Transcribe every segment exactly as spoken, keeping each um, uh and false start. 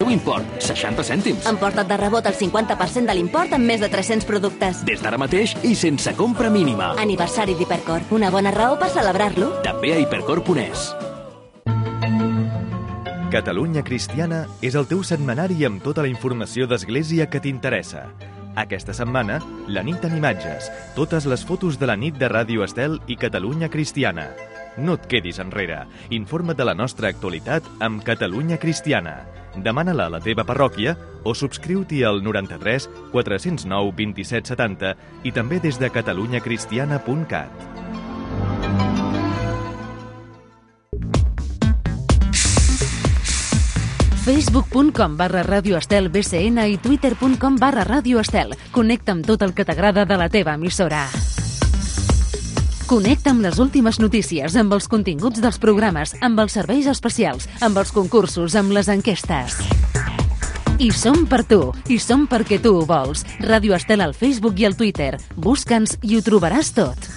teu import, seixanta cèntims. Emporta't de rebot el cinquanta per cent de l'import amb més de tres-cents productes. Des d'ara mateix i sense compra mínima. Aniversari d'Hipercor. Una bona raó per celebrar-lo. També a hipercor punt es. Catalunya Cristiana és el teu setmanari amb tota la informació d'Església que t'interessa. Aquesta setmana, la nit en imatges, totes les fotos de la nit de Ràdio Estel i Catalunya Cristiana. No et quedis enrere. Informa't de la nostra actualitat amb Catalunya Cristiana. Demana-la a la teva parròquia o subscriu-t'hi al noranta-tres quatre zero nou vint-i-set setanta i també des de catalunya cristiana punt cat. facebook punt com barra Ràdio Estel B C N i twitter punt com barra Ràdio Estel. Connecta amb tot el que t'agrada de la teva emissora. Connecta amb les últimes notícies, amb els continguts dels programes, amb els serveis especials, amb els concursos, amb les enquestes. I som per tu, i som perquè tu ho vols. Ràdio Estel al Facebook i al Twitter. Busca'ns i ho trobaràs tot.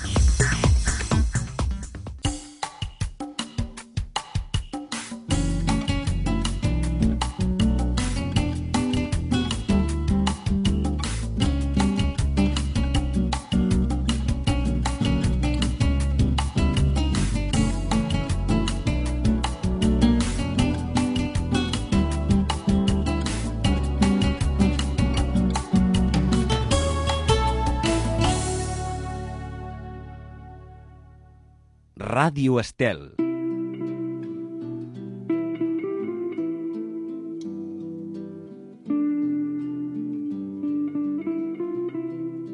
Ràdio Estel.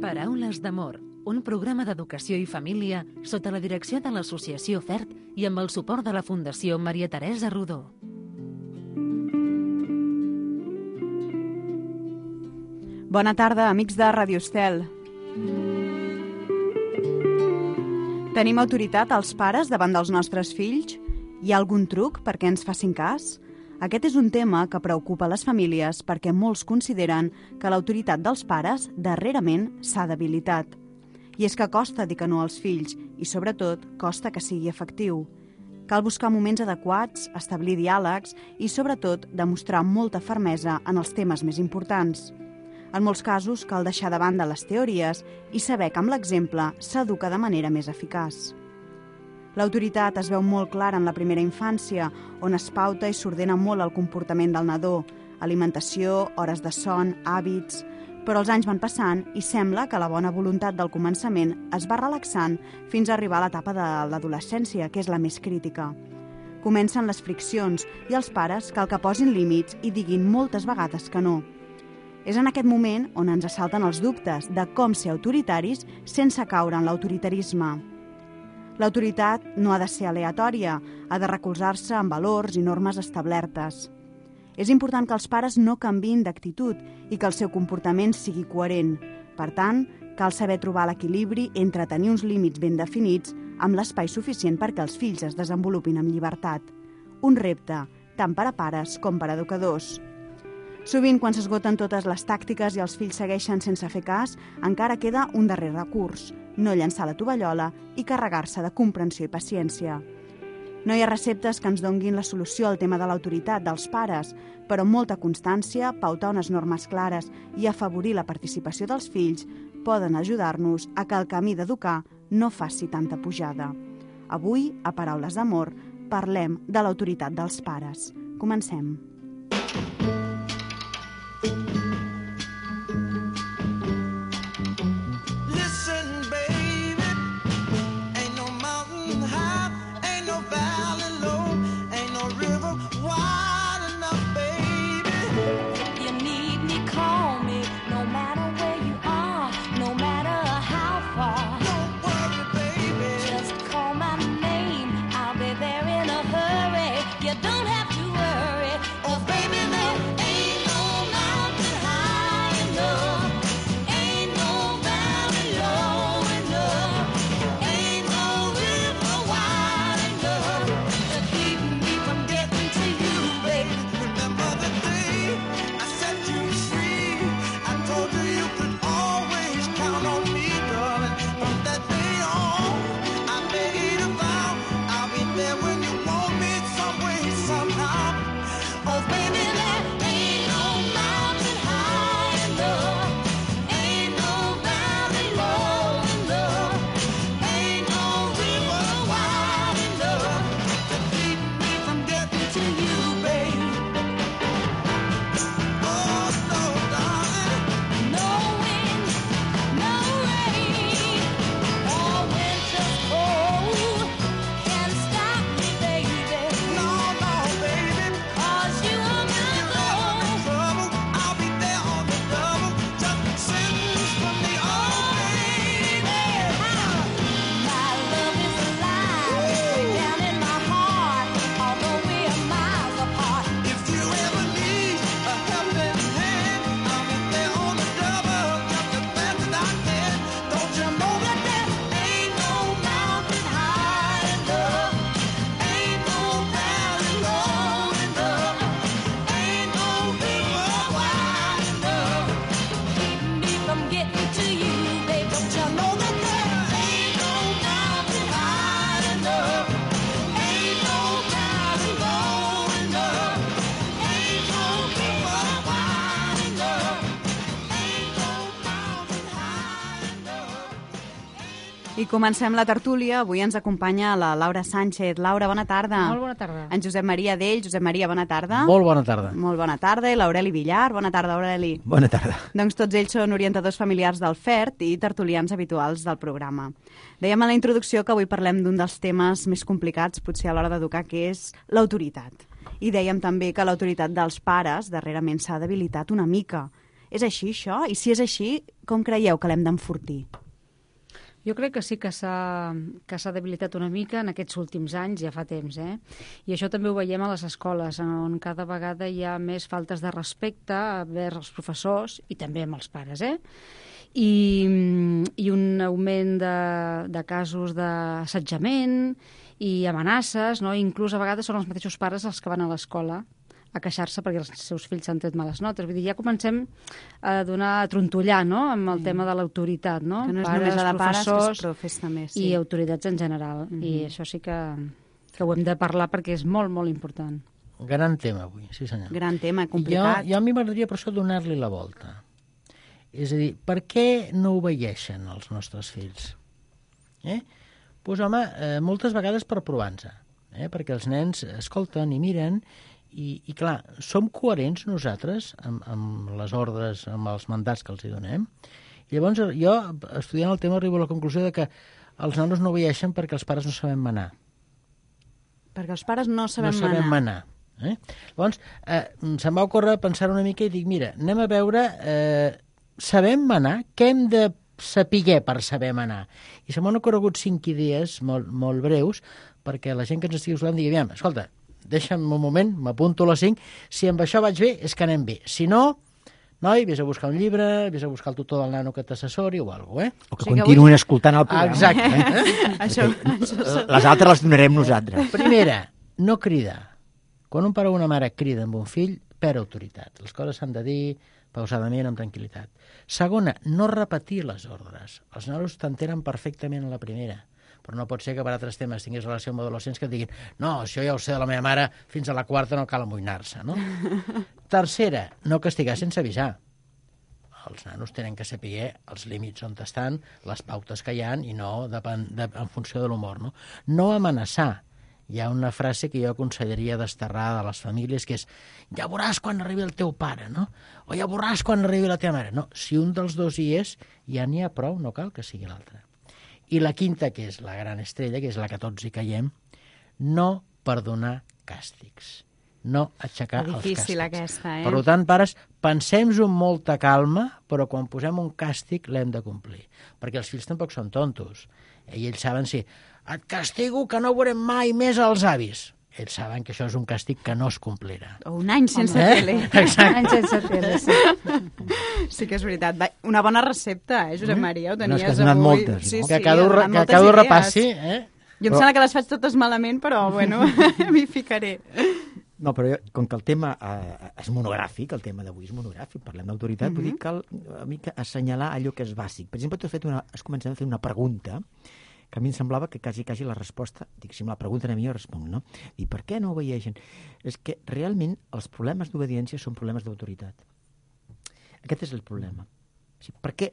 Paraules d'amor, un programa d'educació i família sota la direcció de l'Associació FERT i amb el suport de la Fundació Maria Teresa Rodó. Bona tarda, amics de Ràdio Estel. Tenim autoritat als pares davant dels nostres fills? Hi ha algun truc perquè ens facin cas? Aquest és un tema que preocupa les famílies perquè molts consideren que l'autoritat dels pares darrerament s'ha debilitat. I és que costa dir que no als fills i, sobretot, costa que sigui efectiu. Cal buscar moments adequats, establir diàlegs i, sobretot, demostrar molta fermesa en els temes més importants. En molts casos cal deixar de banda les teories i saber que amb l'exemple s'educa de manera més eficaç. L'autoritat es veu molt clara en la primera infància, on es pauta i s'ordena molt el comportament del nadó, alimentació, hores de son, hàbits... Però els anys van passant i sembla que la bona voluntat del començament es va relaxant fins a arribar a l'etapa de l'adolescència, que és la més crítica. Comencen les friccions i els pares cal que posin límits i diguin moltes vegades que no. És en aquest moment on ens assalten els dubtes de com ser autoritaris sense caure en l'autoritarisme. L'autoritat no ha de ser aleatòria, ha de recolzar-se en valors i normes establertes. És important que els pares no canviïn d'actitud i que el seu comportament sigui coherent. Per tant, cal saber trobar l'equilibri entre tenir uns límits ben definits amb l'espai suficient perquè els fills es desenvolupin amb llibertat. Un repte, tant per a pares com per a educadors. Sovint, quan s'esgoten totes les tàctiques i els fills segueixen sense fer cas, encara queda un darrer recurs, no llançar la tovallola i carregar-se de comprensió i paciència. No hi ha receptes que ens donguin la solució al tema de l'autoritat dels pares, però amb molta constància, pautar unes normes clares i afavorir la participació dels fills poden ajudar-nos a que el camí d'educar no faci tanta pujada. Avui, a Paraules d'Amor, parlem de l'autoritat dels pares. Comencem. You don't have to worry, 'cause baby, there I comencem la tertúlia. Avui ens acompanya la Laura Sánchez. Laura, bona tarda. Molt bona tarda. En Josep Maria Dell. Josep Maria, bona tarda. Molt bona tarda. Molt bona tarda. I l'Aureli Villar. Bona tarda, Aureli. Bona tarda. Doncs tots ells són orientadors familiars del F E R T i tertulians habituals del programa. Dèiem a la introducció que avui parlem d'un dels temes més complicats, potser a l'hora d'educar, que és l'autoritat. I dèiem també que l'autoritat dels pares darrerament s'ha debilitat una mica. És així, això? I si és així, com creieu que l'hem d'enfortir? Jo crec que sí que s'ha que s'ha debilitat una mica en aquests últims anys, ja fa temps, eh? I això també ho veiem a les escoles, on cada vegada hi ha més faltes de respecte vers els professors i també amb els pares, eh? I, i un augment de, de casos d'assetjament i amenaces, no? Inclús a vegades són els mateixos pares els que van a l'escola a queixar-se perquè els seus fills s'han tret males notes. Vull dir, ja comencem a donar, a trontollar, no?, amb el sí. tema de l'autoritat, no? Que no és pares, només la de pares, professors, que és profes també, sí. I autoritats en general. Mm-hmm. I això sí que, que ho hem de parlar perquè és molt, molt important. Gran tema avui, sí senyor. Gran tema, complicat. Jo, jo a mi m'agradaria per això donar-li la volta. És a dir, per què no obeeixen els nostres fills? Eh? Doncs home, eh, moltes vegades per provar-nos, eh? perquè els nens escolten i miren. I, i clar, som coherents nosaltres amb, amb les ordres, amb els mandats que els hi donem. I llavors jo, estudiant el tema, arribo a la conclusió de que els nanos no obeeixen perquè els pares no sabem manar. Perquè els pares no sabem manar. No sabem manar. manar eh? Llavors, eh, se'm va ocórrer pensar una mica i dic, mira, anem a veure, eh, sabem manar? Què hem de saber per saber manar? I se m'han ocorregut cinc idees molt, molt breus perquè la gent que ens estigui usant digui, aviam, escolta, deixa'm un moment, m'apunto a les cinc, si amb això vaig bé, és que anem bé. Si no, noi, vés a buscar un llibre, vés a buscar el tutor del nano que t'assessori o alguna cosa, eh? O que o sigui continuïn que avui... escoltant el programa. Exacte. Eh? això, això... Les altres les donarem nosaltres. Primera, no cridar. Quan un pare o una mare crida amb un fill, perd autoritat. Les coses s'han de dir pausadament, amb tranquil·litat. Segona, no repetir les ordres. Els nanos t'entenen perfectament a la primera, però no pot ser que per altres temes tinguis relació amb adolescents que et diguin no, això ja ho sé de la meva mare, fins a la quarta no cal amoïnar-se, no? Tercera, no castigar sense avisar. Els nanos tenen que saber els límits on estan, les pautes que hi ha, i no depèn, de, en funció de l'humor, no? No amenaçar. Hi ha una frase que jo aconsellaria desterrar de les famílies, que és ja veuràs quan arribi el teu pare, no? O ja veuràs quan arribi la teva mare. No, si un dels dos hi és, ja n'hi ha prou, no cal que sigui l'altre. I la quinta, que és la gran estrella, que és la que tots hi caiem, no perdonar càstigs, no aixecar els càstigs. Difícil aquesta, eh? Per tant, pares, pensem-ho amb molta calma, però quan posem un càstig l'hem de complir, perquè els fills tampoc són tontos. I ells saben si et castigo que no veurem mai més els avis. Ells saben que això és un càstig que no es complirà. O un any sense eh? tele. Exacte. Un any sense tele, sí. Sí que és veritat. Una bona recepta, eh, Josep Maria? Ho tenies no, és que has donat avui. moltes. Sí, No? sí, que cada un, que cada un repassi. Eh? Jo em sembla que les faig totes malament, però bueno, m'hi ficaré. No, però jo, com que el tema eh, és monogràfic, el tema d'avui és monogràfic, parlem d'autoritat, mm-hmm. vull dir, cal una mica assenyalar allò que és bàsic. Per exemple, tu has, fet una, has començat a fer una pregunta que a mi em semblava que quasi, quasi la resposta, dic, si me la pregunten a mi jo responc, no? I per què no obeeixen? És que realment els problemes d'obediència són problemes d'autoritat. Aquest és el problema. O sigui, per què?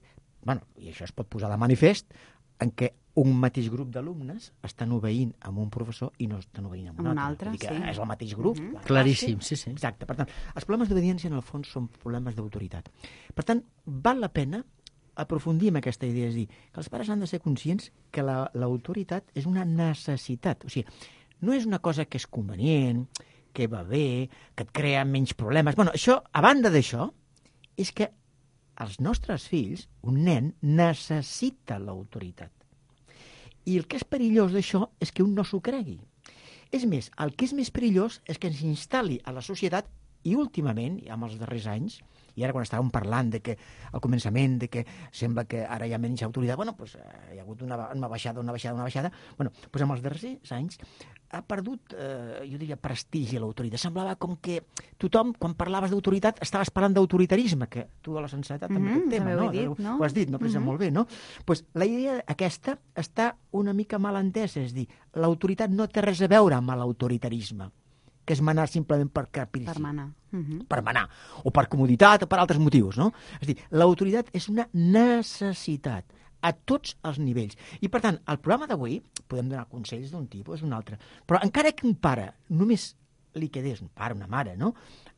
Bueno, i això es pot posar de manifest en què un mateix grup d'alumnes estan obeint amb un professor i no estan obeint amb un, un altre. altre. Sí. És el mateix grup. Mm-hmm. Clar, Claríssim, sí, sí. Exacte. Per tant, els problemes d'obediència en el fons són problemes d'autoritat. Per tant, val la pena aprofundir en aquesta idea, és dir, que els pares han de ser conscients que la, l'autoritat és una necessitat. O sigui, no és una cosa que és convenient, que va bé, que et crea menys problemes. Bueno, això, a banda d'això, és que els nostres fills, un nen, necessita l'autoritat. I el que és perillós d'això és que un no s'ho cregui. És més, el que és més perillós és que ens instal·li a la societat, i últimament, amb els darrers anys, i ara quan estàvem parlant de que al començament de que sembla que ara hi ha menys autoritat, bueno, doncs hi ha hagut una, una baixada, una baixada, una baixada, bueno, doncs amb els darrers anys ha perdut, eh, jo diria, prestigi l'autoritat. Semblava com que tothom, quan parlaves d'autoritat, estaves parlant d'autoritarisme, que tu a la sensibilitat també Mm-hmm, aquest tema, no? Dit, no? Ho has dit, no? Però mm-hmm. molt bé, no? Pues la idea aquesta està una mica mal entesa, és dir, l'autoritat no té res a veure amb l'autoritarisme, que és manar simplement per caprici. Per manar. Uh-huh. Per manar, o per comoditat, o per altres motius, no? És a dir, l'autoritat és una necessitat. a tots els nivells. I, per tant, al programa d'avui podem donar consells d'un tipus, d'un altre. Però encara que un pare només li quedés, un pare, una mare, no?,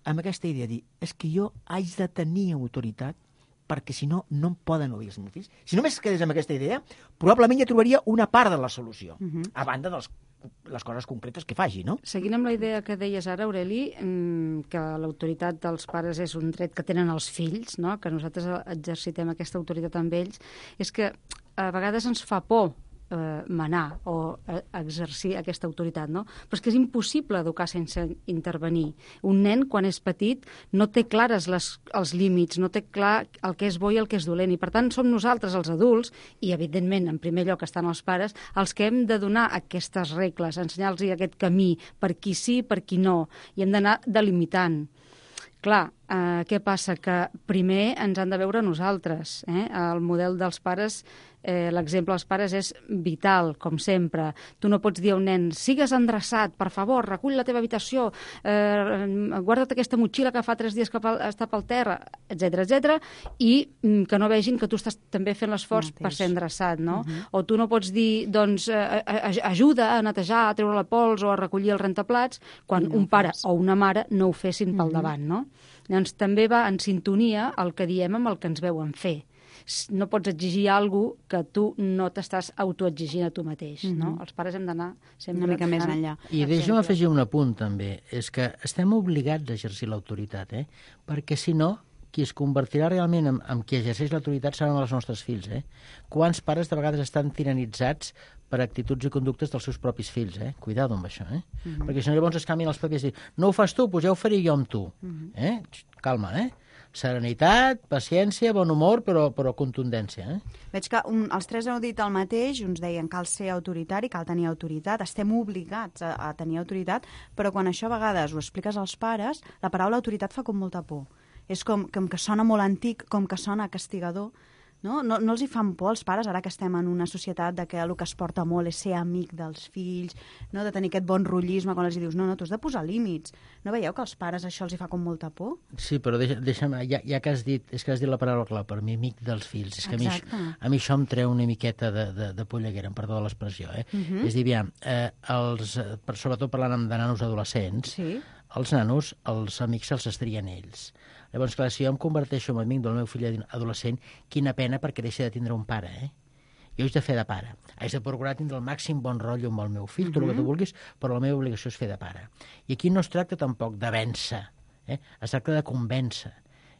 amb aquesta idea de dir, és que jo haig de tenir autoritat perquè, si no, no em poden obeir els meus fills. Si només quedés amb aquesta idea, probablement ja trobaria una part de la solució, uh-huh. a banda dels les coses concretes que faci, no? Seguint amb la idea que deies ara, Aureli, que l'autoritat dels pares és un dret que tenen els fills, no?, que nosaltres exercitem aquesta autoritat amb ells, és que a vegades ens fa por eh, manar o eh, exercir aquesta autoritat, no? Però és que és impossible educar sense intervenir. Un nen, quan és petit, no té clares les, els límits, no té clar el que és bo i el que és dolent, i per tant som nosaltres, els adults, i evidentment, en primer lloc estan els pares, els que hem de donar aquestes regles, ensenyar-los aquest camí, per qui sí, per qui no, i hem d'anar delimitant. Clar, eh, què passa? Que primer ens han de veure nosaltres. Eh? El model dels pares, eh, l'exemple dels pares és vital, com sempre. Tu no pots dir a un nen, sigues endreçat, per favor, recull la teva habitació, eh, guarda't aquesta motxilla que fa tres dies que està pel terra, etcètera, etcètera, i mm, que no vegin que tu estàs també fent l'esforç per ser endreçat, no? Uh-huh. O tu no pots dir, doncs, eh, ajuda a netejar, a treure la pols o a recollir els rentaplats, quan no un pare fas. O una mare no ho fessin uh-huh. pel davant, no? Llavors, també va en sintonia el que diem amb el que ens veuen fer. No pots exigir alguna cosa que tu no t'estàs autoexigint a tu mateix, mm-hmm. no? Els pares hem d'anar sempre... Una mica més enllà. I deixa'm afegir un apunt, també. És que estem obligats a exercir l'autoritat, eh? Perquè, si no, qui es convertirà realment en, en qui exerceix l'autoritat seran els nostres fills, eh? Quants pares de vegades estan tiranitzats per actituds i conductes dels seus propis fills, eh? Cuidado amb això, eh? Mm-hmm. Perquè si no llavors es canvien els papers i diuen, no ho fas tu, doncs ja ho faré jo amb tu. Mm-hmm. Eh? Calma, eh? Serenitat, paciència, bon humor, però, però contundència. Eh? Veig que un, els tres heu dit el mateix, uns deien cal ser autoritari, cal tenir autoritat, estem obligats a, a tenir autoritat, però quan això a vegades ho expliques als pares, la paraula autoritat fa com molta por. És com, com que sona molt antic, com que sona castigador. No? No, no els hi fan por als pares, ara que estem en una societat de que el que es porta molt és ser amic dels fills, no? De tenir aquest bon rotllisme quan els dius, no, no, tu has de posar límits. No veieu que als pares això els hi fa com molta por? Sí, però deixa, deixa'm, ja, ja que has dit, és que has dit la paraula clau, per mi, amic dels fills. És que a mi, a mi això em treu una miqueta de, de, de polleguera, em perdó de l'expressió. Eh? Uh-huh. És dir, aviam, eh, els, per, sobretot parlant de nanos adolescents, sí. Els nanos, els amics se'ls estrien ells. Llavors, clar, si jo em converteixo en amic del meu fill adolescent, quina pena perquè deixa de tindre un pare, eh? Jo haig de fer de pare. Haig de procurar tindre el màxim bon rotllo amb el meu fill, tot el que tu vulguis, però la meva obligació és fer de pare. I aquí no es tracta tampoc de vèncer, eh? Es tracta de convèncer.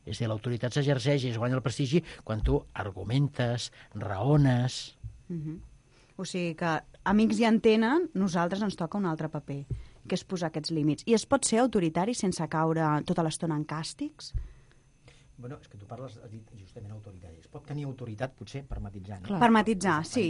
És a dir, l'autoritat s'exerceix i es guanya el prestigi quan tu argumentes, raones... Uh-huh. O sigui que amics ja en tenen, nosaltres ens toca un altre paper, que és posar aquests límits. I es pot ser autoritari sense caure tota l'estona en càstigs? Bueno, és que tu parles, has dit justament autoritari. Es pot tenir autoritat, potser, per matitzar. No? Per matitzar, sí.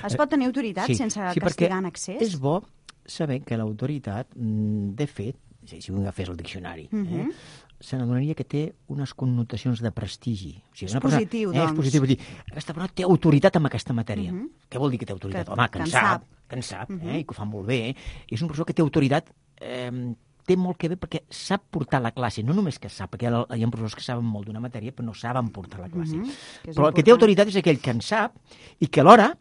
Es pot tenir autoritat sí, sense sí, castigar en excés? És bo saber que l'autoritat, de fet, si, si un agafés el diccionari, uh-huh. eh, se n'adonaria que té unes connotacions de prestigi. O sigui, és positiu, persona, doncs. Eh, és positiu, dir, aquesta persona té autoritat en aquesta matèria. Uh-huh. Què vol dir que té autoritat? Que, Home, que en sap, sap, que en sap, uh-huh. eh, i que ho fa molt bé. Eh? És una persona que té autoritat, eh, té molt que bé perquè sap portar la classe. No només que sap, perquè hi ha professors que saben molt d'una matèria, però no saben portar la classe. Uh-huh. Però important. El que té autoritat és aquell que en sap i que alhora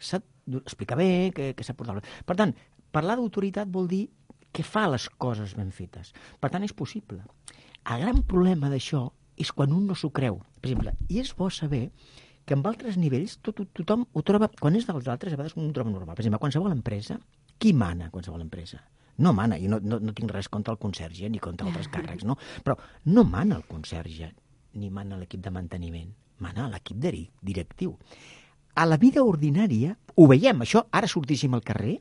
sap explicar bé, que, que sap portar la classe. Per tant, parlar d'autoritat vol dir que fa les coses ben fetes. Per tant, és possible. El gran problema d'això és quan un no s'ho creu. Per exemple, i és bo saber que en altres nivells tot, tothom ho troba, quan és dels altres, a vegades un ho troba normal. Per exemple, qualsevol empresa, qui mana a qualsevol empresa? No mana, i no, no, no tinc res contra el conserge ni contra altres càrrecs, no? Però no mana el conserge ni mana l'equip de manteniment, mana l'equip directiu. A la vida ordinària ho veiem, això, ara sortíssim al carrer,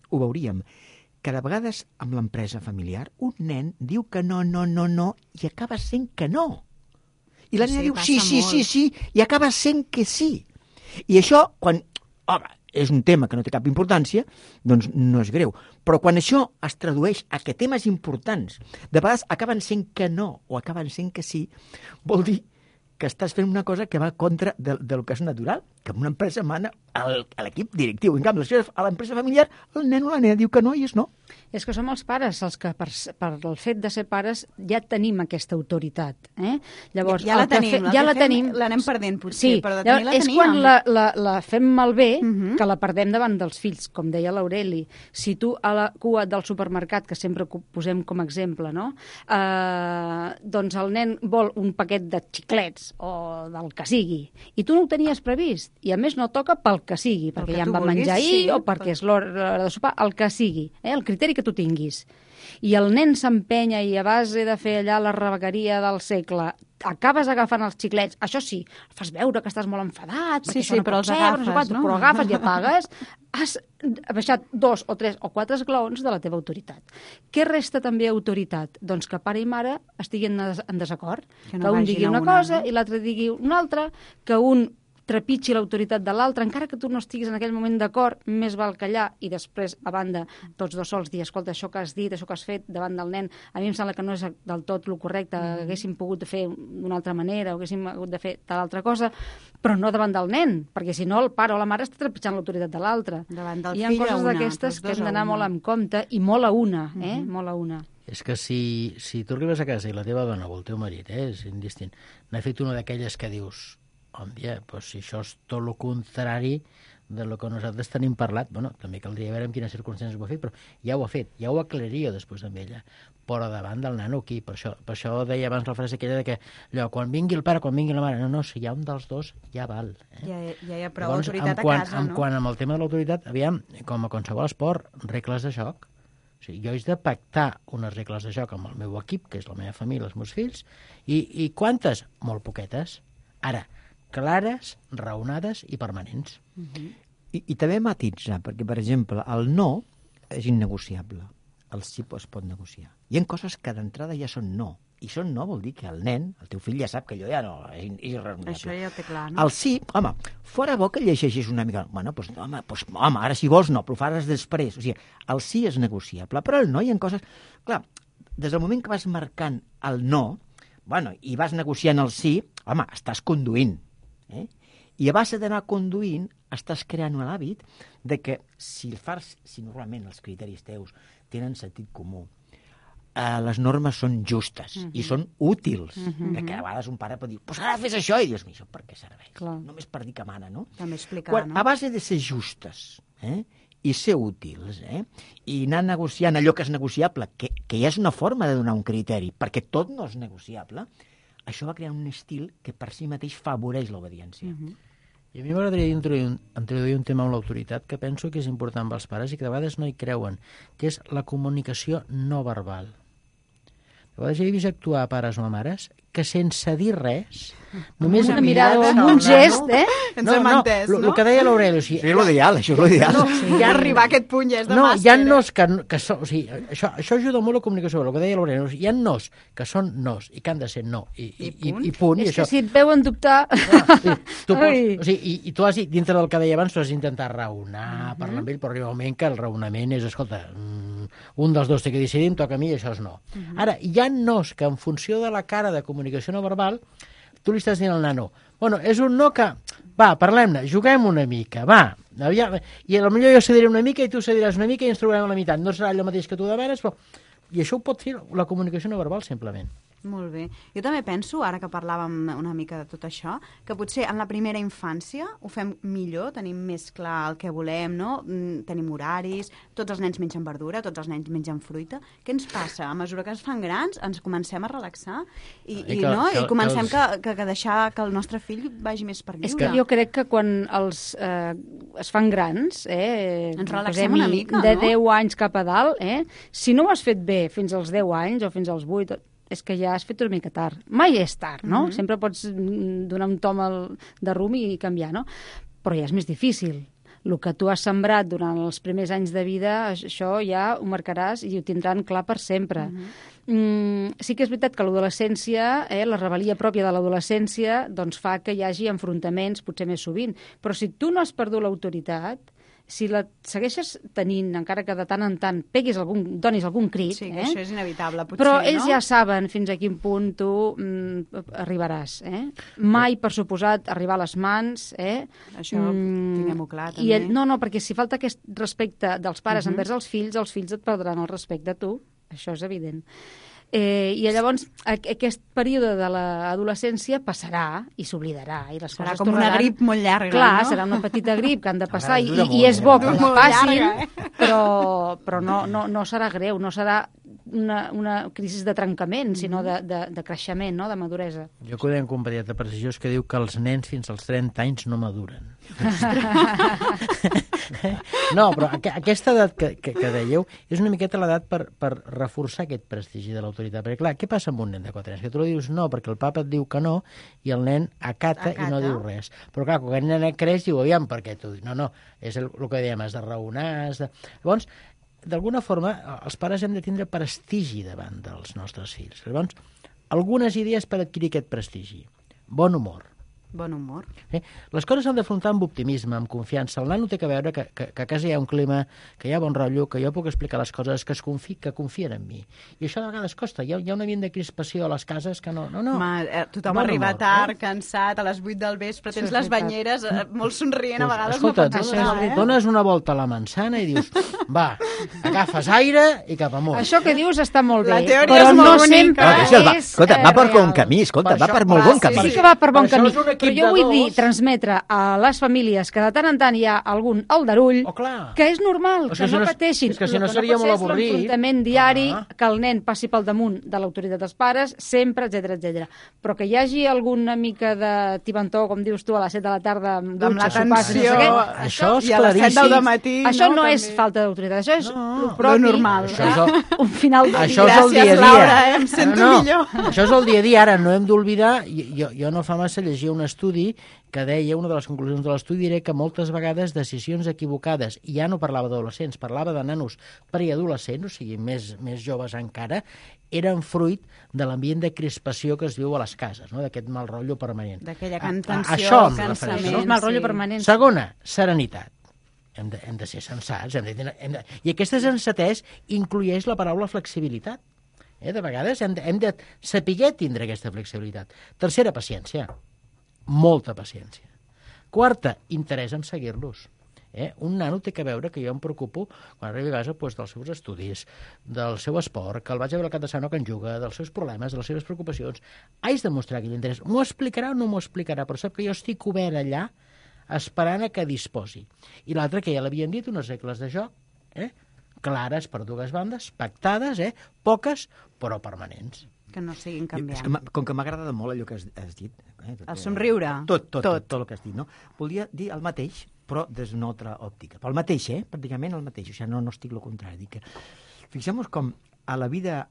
ho veuríem, que de vegades amb l'empresa familiar un nen diu que no, no, no, no, i acaba sent que no. I la nena sí, diu sí, sí, sí, sí, i acaba sent que sí. I això, quan, home, és un tema que no té cap importància, doncs no és greu. Però quan això es tradueix a que temes importants, de vegades acaben sent que no, o acaben sent que sí, vol dir que estàs fent una cosa que va contra del, del que és natural, que en una empresa mana el- l'equip directiu. En canvi, a l'empresa familiar, el nen o la nena diu que no i és no. És que som els pares els que, per, per el fet de ser pares, ja tenim aquesta autoritat. Eh? Llavors, Ja la el que tenim, fe- la ja que la fem tenim. l'anem perdent, potser, sí, però de llavors, tenir la és teníem. quan la, la, la fem malbé Mhm. que la perdem davant dels fills, com deia l'Aureli. Si tu a la cua del supermercat, que sempre co- posem com a exemple, no? eh, doncs el nen vol un paquet de xiclets o del que sigui, i tu no ho tenies previst, i a més no toca pel que sigui, Pel perquè que ja tu em va vulguis, menjar ahir sí, o perquè pel- és l'hora de sopar, el que sigui, eh? El criteri que tu tinguis. I el nen s'empenya i a base de fer allà la rebequeria del segle acabes agafant els xiclets, això sí, fas veure que estàs molt enfadat, Sí, perquè sí, això no però pot els ser, agafes, no sé quant, no? però agafes i apagues, has baixat dos o tres o quatre esglaons de la teva autoritat. Què resta també autoritat? Doncs que pare i mare estiguin en des- en desacord, Que que, no un vagin digui a una una, cosa no? i l'altre digui una altra, que un trepitgi l'autoritat de l'altre, encara que tu no estiguis en aquell moment d'acord, més val callar i després, a banda, tots dos sols dir, escolta, això que has dit, això que has fet davant del nen, a mi em sembla que no és del tot el correcte, Mm. haguéssim pogut fer d'una altra manera, o haguéssim hagut de fer tal altra cosa, però no davant del nen, perquè si no el pare o la mare està trepitjant l'autoritat de l'altre. Davant del Hi ha fill a coses una, d'aquestes tots que dos hem a d'anar una. molt en compte, i molt a una, eh? Molt a una. És que si, si tu arribes a casa i la teva dona o el teu marit, eh, és indistint, n'ha fet una d'aquelles que dius, hòndia, doncs si això és tot el contrari de lo que nosaltres tenim parlat, bueno, també caldria veure en quines circumstàncies ho ha fet, però ja ho ha fet, ja ho aclariria després amb ella, però davant del nano aquí, per això, per això deia abans la frase aquella de que allò, quan vingui el pare, quan vingui la mare, no, no, si hi ha un dels dos, ja val. Eh? Ja, ja hi ha prou Llavors, autoritat en quant, a casa, en no? quant amb el tema de l'autoritat, aviam, com a qualsevol esport, regles de joc. O sigui, jo he de pactar unes regles de joc amb el meu equip, que és la meva família, els meus fills, i, i quantes? Molt poquetes. Ara, clares, raonades i permanents. I, I també matitzar, perquè, per exemple, el no és innegociable. El sí es pot negociar. Hi ha coses que d'entrada ja són no. I són no vol dir que el nen, el teu fill, ja sap que allò ja no és, és irraonable. Això ja ho té clar, no? El sí, home, fora bo que llegeixis una mica... Bueno, doncs, home, doncs, home, ara si vols no, però ho faràs després. O sigui, el sí és negociable, però el no hi ha coses... Clar, des del moment que vas marcant el no, bueno, i vas negociant el sí, home, estàs conduint. Eh? I a base d'anar conduint, estàs creant un hàbit de que si el fas, si normalment els criteris teus tenen sentit comú, eh, les normes són justes uh -huh. i són útils, uh -huh. que a vegades un pare pot dir, pues ara fes això, i dius, això per què serveix? Clar. Només per dir que mana, no? També explicar, Quan, no? a base de ser justes, eh? i ser útils, eh? i anar negociant allò que és negociable, que, que ja és una forma de donar un criteri, perquè tot no és negociable, això va crear un estil que per si mateix favoreix l'obediència. Mhm. I a mi m'agradaria introduir, un, introduir un tema amb l'autoritat que penso que és important pels pares i que de vegades no hi creuen, que és la comunicació no verbal. De vegades he vist actuar pares o mares que sense dir res, només Una amb mirada o mirades amb al un nano- gest, eh? Ens hem entès, lo- no? lo que deia l'Aureli, o sigui, Això és l'ideal, això és l'ideal. No, Sí, ja arribar a aquest punt ja és de no, màster, hi ha eh? nos que, que són... O sigui, això, això ajuda molt a la comunicació, el que deia l'Aureli. O sigui, hi ha nos que són nos i que han de ser no. I, i, i, punt. i punt. I És això, que si et veuen dubtar... sí, tu Ai. pots, o sigui, i, i tu has dit, dintre del que deia abans, tu has d'intentar raonar, parlar amb ell, però arriba un moment que el raonament és, escolta, mm, un dels dos té que decidir, em toca a mi i això és no. Ara, hi ha nos que en funció de la cara de comunicació no verbal, tu li estàs dient al nano, bueno, és un no que, va, parlem-ne, juguem una mica, va, aviam, i potser jo cediré una mica i tu cediràs una mica i ens trobem a la meitat, no serà allò mateix que tu demanes, però... I això ho pot fer la comunicació no verbal, simplement. Molt bé. Jo també penso, ara que parlàvem una mica de tot això, que potser en la primera infància ho fem millor, tenim més clar el que volem, no? Mm, tenim horaris, tots els nens mengen verdura, tots els nens mengen fruita. Què ens passa? A mesura que ens fan grans, ens comencem a relaxar i, I i, que- no? que- I comencem que els- que, que, que deixar que el nostre fill vagi més per lliure. És que jo crec que quan els eh, es fan grans, eh, Ens relaxem una mica, de no? deu anys cap a dalt, eh, si no ho has fet bé fins als deu anys o fins als vuit, és que ja has fet una mica tard. Mai és tard, no? Mhm. Sempre pots mm, donar un tom al- de rum i canviar, no? Però ja és més difícil. El que tu has sembrat durant els primers anys de vida, això ja ho marcaràs i ho tindran clar per sempre. Mm, sí que és veritat que l'adolescència, eh, la rebel·lia pròpia de l'adolescència, doncs fa que hi hagi enfrontaments potser més sovint. Però si tu no has perdut l'autoritat, si la segueixes tenint, encara que de tant en tant peguis algun, donis algun crit, Sí, que eh? això és inevitable, potser, Però no? ells ja saben fins a quin punt tu mm, arribaràs. Eh? Mai, per suposat, arribar a les mans. Eh? Això tinguem-ho clar, I també. el, no, no, perquè si falta aquest respecte dels pares Mhm. envers els fills, els fills et perdran el respecte a tu. Això és evident. Eh, I llavors a, aquest període de l'adolescència passarà i s'oblidarà. I les Serà coses com una tornaran... grip molt llarga, Clar, no? serà una petita grip que han de passar i, dura i, molt, i és bo eh? que Dura la molt passin, llarga, eh? però, però no, no, no serà greu, no serà una, una crisi de trencament, sinó de, de, de creixement, no? De maduresa. Jo conec un pediatre prestigiós que diu que els nens fins als trenta anys no maduren. No, però aqu aquesta edat que, que, que dèieu és una miqueta l'edat per, per reforçar aquest prestigi de l'autoritat. Perquè, clar, què passa amb un nen de quatre anys? Que tu li dius no, perquè el papa et diu que no, i el nen acata, acata. i no diu res. Però, clar, quan el nen creix, diu, aviam, per què tu? No, no, és el, el que dèiem, has de raonar, has de... Llavors, d'alguna forma, els pares hem de tindre prestigi davant dels nostres fills. Llavors, algunes idees per adquirir aquest prestigi. Bon humor. Bon humor. Eh? Les coses s'han d'afrontar amb optimisme, amb confiança. El nano té que veure que, que, que a casa hi ha un clima, que hi ha bon rotllo, que jo puc explicar les coses, que es confi, que confien en mi. I això de vegades costa. Hi ha, hi ha un ambient de crispació a les cases que no... no, no. Ma, eh, tothom Bon arriba humor, tard, eh? cansat, a les vuit del vespre, tens és les veritat. banyeres eh, molt somrient, a Pues, vegades escolta, no pots dones, estar, eh? dones una volta a la manzana i dius, va, agafes aire i cap amunt. Això que dius està molt bé, La teoria però és no molt bonica. sempre Ah, que això va, és escolta, eh, va per bon real. camí, escolta, Per va això- per molt va, bon sí, camí. Sí que va per bon Per això camí, és un equip però jo de vull dir, dos. transmetre a les famílies que de tant en tant hi ha algun aldarull, Oh, clar. que és normal, És que, que si no no- pateixin. és que si El no seria pot molt ser és avorrit. l'enfrontament diari, Ah. que el nen passi pel damunt de l'autoritat dels pares, sempre, etcètera, etcètera. Però que hi hagi alguna mica de tibantó, com dius tu, a les set de la tarda, amb Amb dutxa, sopars, no sé l'atenció, què, Això és i a les set claríssim. del matí, això no, no també. és falta d'autoritat, això és No, lo lo propi, normal. Això és el- un final de Això dia. és el dia a Gràcies, dia. Laura, eh? Em sento no, no. millor. Això és el dia a dia. Ara no hem d'oblidar... Jo, jo no fa massa llegia un estudi que deia, una de les conclusions de l'estudi era que moltes vegades decisions equivocades, i ja no parlava d'adolescents, parlava de nanos preadolescents, o sigui, més, més joves encara, eren fruit de l'ambient de crispació que es viu a les cases, no? D'aquest mal rotllo permanent. D'aquella A- a- contenció, això em cansament. refereixo. És mal rotllo sí. permanent. Segona, serenitat. Hem de, hem de ser sensats. Hem de, tenir- hem de... I aquesta sensatesa inclueix la paraula flexibilitat. Eh? De vegades hem de, hem de saber tindre aquesta flexibilitat. Tercera, paciència. Molta paciència. Quarta, interès en seguir-los. Eh? Un nano té que veure que jo em preocupo quan arribi a casa doncs, dels seus estudis, del seu esport, que el vaig a veure el cap de setmana que en juga, dels seus problemes, de les seves preocupacions. Haig de mostrar aquell interès. M'ho explicarà o no m'ho explicarà, però sap que jo estic obert allà esperant a que disposi. I l'altre, que ja l'havien dit, unes regles de joc, eh? clares per dues bandes, pactades, eh? poques, però permanents. Que no siguin Jo, és que canviant. m'ha- com que m'ha agradat molt allò que has, has dit... Eh, tot, El somriure. Tot, tot, tot, Tot. tot el que has dit, no? Volia dir el mateix, però des d'una altra òptica. Però el mateix, eh? Pràcticament el mateix. O sigui, no, no estic el contrari. Dic que... Fixem-nos com a la vida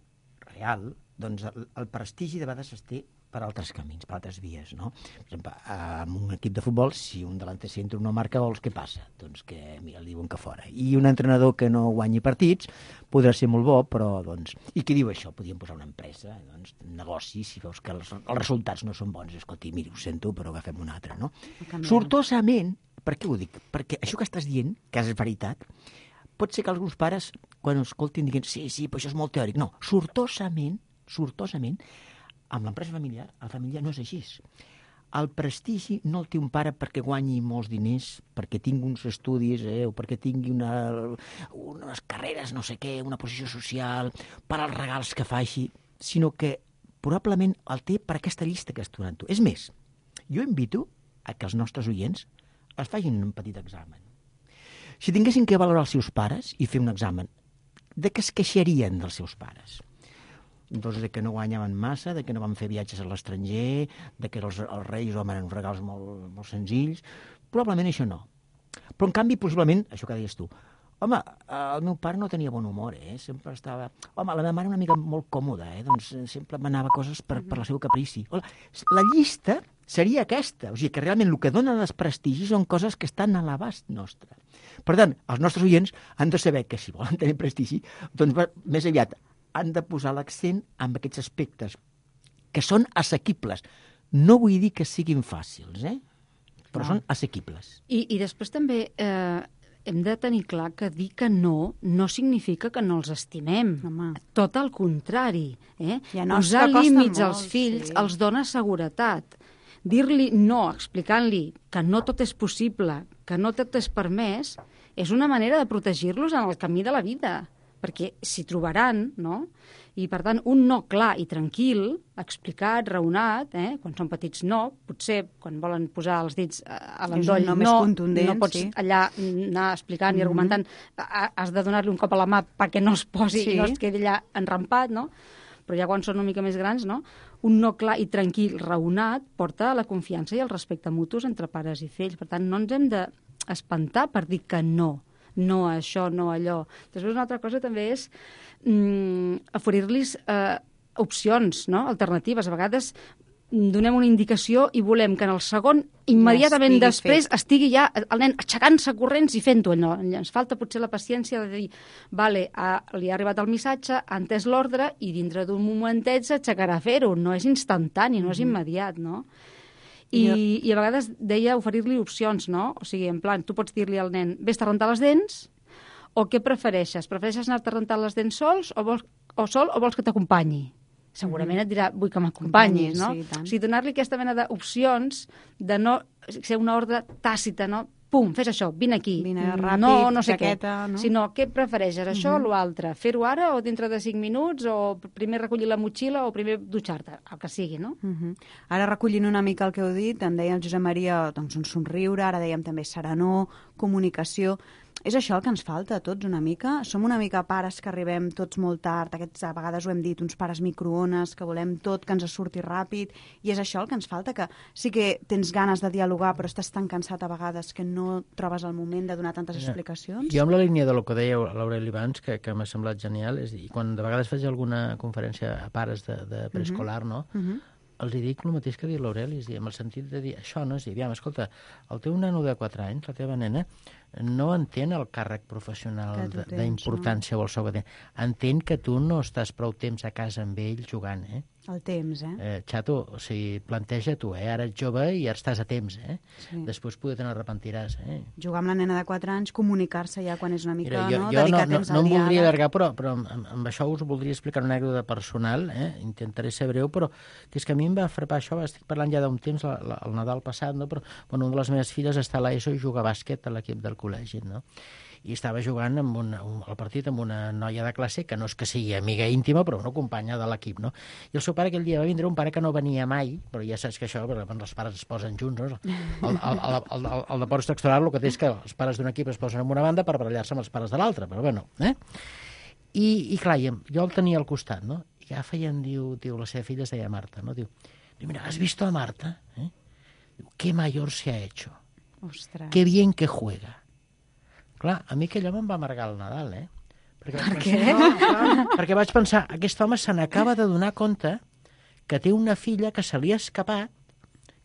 real, doncs el, el prestigi de vegades es té per altres camins, per altres vies, no? Per exemple, en un equip de futbol, si un delanter centre no marca gols, què passa? Doncs que, mira, li diuen que fora. I un entrenador que no guanyi partits podrà ser molt bo, però, doncs... I qui diu això? Podríem posar una empresa, doncs, un negoci, si veus que els, els resultats no són bons, escolti, miri, ho sento, però agafem un altre, no? Canviem. Sortosament, per què ho dic? Perquè això que estàs dient, que és veritat, pot ser que alguns pares, quan ho escoltin, diguin, sí, sí, però això és molt teòric. No, sortosament, sortosament, amb l'empresa familiar, la família no és així. El prestigi no el té un pare perquè guanyi molts diners, perquè tingui uns estudis, eh, o perquè tingui una, unes carreres, no sé què, una posició social, per als regals que faci, sinó que probablement el té per aquesta llista que has donat tu. És més, jo invito a que els nostres oients es facin un petit examen. Si tinguessin que valorar els seus pares i fer un examen, de què es queixarien dels seus pares? Doncs de que no guanyaven massa, de que no van fer viatges a l'estranger, de que els, els reis home, eren uns regals molt, molt senzills. Probablement això no. Però, en canvi, possiblement, això que deies tu, home, el meu pare no tenia bon humor, eh? Sempre estava... Home, la meva mare una mica molt còmoda, eh? Doncs sempre manava coses per, per la seva caprici. Hola, la llista seria aquesta. O sigui, que realment el que dona desprestigi són coses que estan a l'abast nostre. Per tant, els nostres oients han de saber que si volen tenir prestigi, doncs va, més aviat han de posar l'accent en aquests aspectes que són assequibles. No vull dir que siguin fàcils, eh? Però No. són assequibles. I, I després també eh, hem de tenir clar que dir que no no significa que no els estimem. Home. Tot el contrari. Eh? Hi ha nois Posar que costen límits molt, als fills sí. els dona seguretat. Dir-li no, explicant-li que no tot és possible, que no tot és permès, és una manera de protegir-los en el camí de la vida, perquè s'hi trobaran, no? I, per tant, un no clar i tranquil, explicat, raonat, eh? Quan són petits no, potser quan volen posar els dits a l'endoll, no, no, més contundent, no pots sí. allà anar explicant mm-hmm. i argumentant, has de donar-li un cop a la mà perquè no es posi sí. i no es quedi allà enrampat, no? Però ja quan són una mica més grans, no? Un no clar i tranquil, raonat, porta a la confiança i el respecte mutus entre pares i fills. Per tant, no ens hem d'espantar per dir que no. No a això, no a allò. Després una altra cosa també és mm, oferir-los eh, opcions, no? Alternatives. A vegades donem una indicació i volem que en el segon, immediatament ja després, fet. estigui ja el nen aixecant-se corrents i fent-ho allò. Ens falta potser la paciència de dir vale, ha, li ha arribat el missatge, ha entès l'ordre i dintre d'un momentet s'aixecarà a fer-ho. No és instantani, no és immediat, no? I, jo... I a vegades deia oferir-li opcions, no? O sigui, en plan, tu pots dir-li al nen vés-te a rentar les dents, o què prefereixes? Prefereixes anar-te a rentar les dents sols o, vols, o sol o vols que t'acompanyi? Segurament et dirà, vull que m'acompanyis, no? Sí, o sigui, donar-li aquesta mena d'opcions de no ser una ordre tàcita, no? Pum, fes això, vine aquí. Vine ràpid, no, no sé jaqueta, què. no? Sinó, què prefereixes, això Uh-huh. o l'altre? Fer-ho ara o dintre de cinc minuts, o primer recollir la motxilla o primer dutxar-te, el que sigui, no? Uh-huh. Ara, recollint una mica el que heu dit, em deia el Josep Maria, doncs, un somriure, ara dèiem també serenor, comunicació. És això el que ens falta a tots una mica? Som una mica pares que arribem tots molt tard, aquests, a vegades ho hem dit, uns pares microones, que volem tot, que ens surti ràpid, i és això el que ens falta, que sí que tens ganes de dialogar, però estàs tan cansat a vegades que no trobes el moment de donar tantes explicacions? Jo amb la línia de lo que deia l'Aureli abans, que, que m'ha semblat genial, és dir, quan de vegades faig alguna conferència a pares de, de preescolar, no? Uh-huh. Els hi dic el mateix que ha dit l'Aureli, és dir, amb el sentit de dir això, no? És dir, aviam, escolta, el teu nano de quatre anys, la teva nena, no entén el càrrec professional d'importància no? o el sou que té. Entén que tu no estàs prou temps a casa amb ell jugant, eh? El temps, eh? eh xato, o sigui, planteja tu, eh? Ara ets jove i ara estàs a temps, eh? Sí. Després poder te n'arrepentiràs, eh? Jugar amb la nena de quatre anys, comunicar-se ja quan és una mica, Mira, jo, no? Jo Dedicar no, temps no, no al em voldria diàleg. allargar, però, però amb, amb això us voldria explicar una anècdota personal, eh? Intentaré ser breu, però que és que a mi em va frapar això, estic parlant ja d'un temps, la, la, el Nadal passat, no? Però bueno, una de les meves filles està a l'ESO i juga a bàsquet a l'equip del col·legi, no? I estava jugant amb una, un, el partit amb una noia de classe que no és que sigui amiga íntima, però una companya de l'equip, no? I el seu pare aquell dia va vindre, un pare que no venia mai, però ja saps que això, perquè els pares es posen junts, no? El, el, el, el, el, el deport extraescolar el que té és que els pares d'un equip es posen en una banda per barallar-se amb els pares de l'altre, però bueno, eh? I, i clar, jo el tenia al costat, no? I agafa i em diu, diu, la seva filla es deia Marta, no? Diu, diu mira, ¿has visto a Marta? ¿Eh? Diu, qué mayor se ha hecho. Ostres. Qué bien que juega. Clar, a mi aquell home em va amargar el Nadal, eh? Perquè per què? Pensar, no, clar, perquè vaig pensar, aquest home se n'acaba de donar compte que té una filla que se li ha escapat,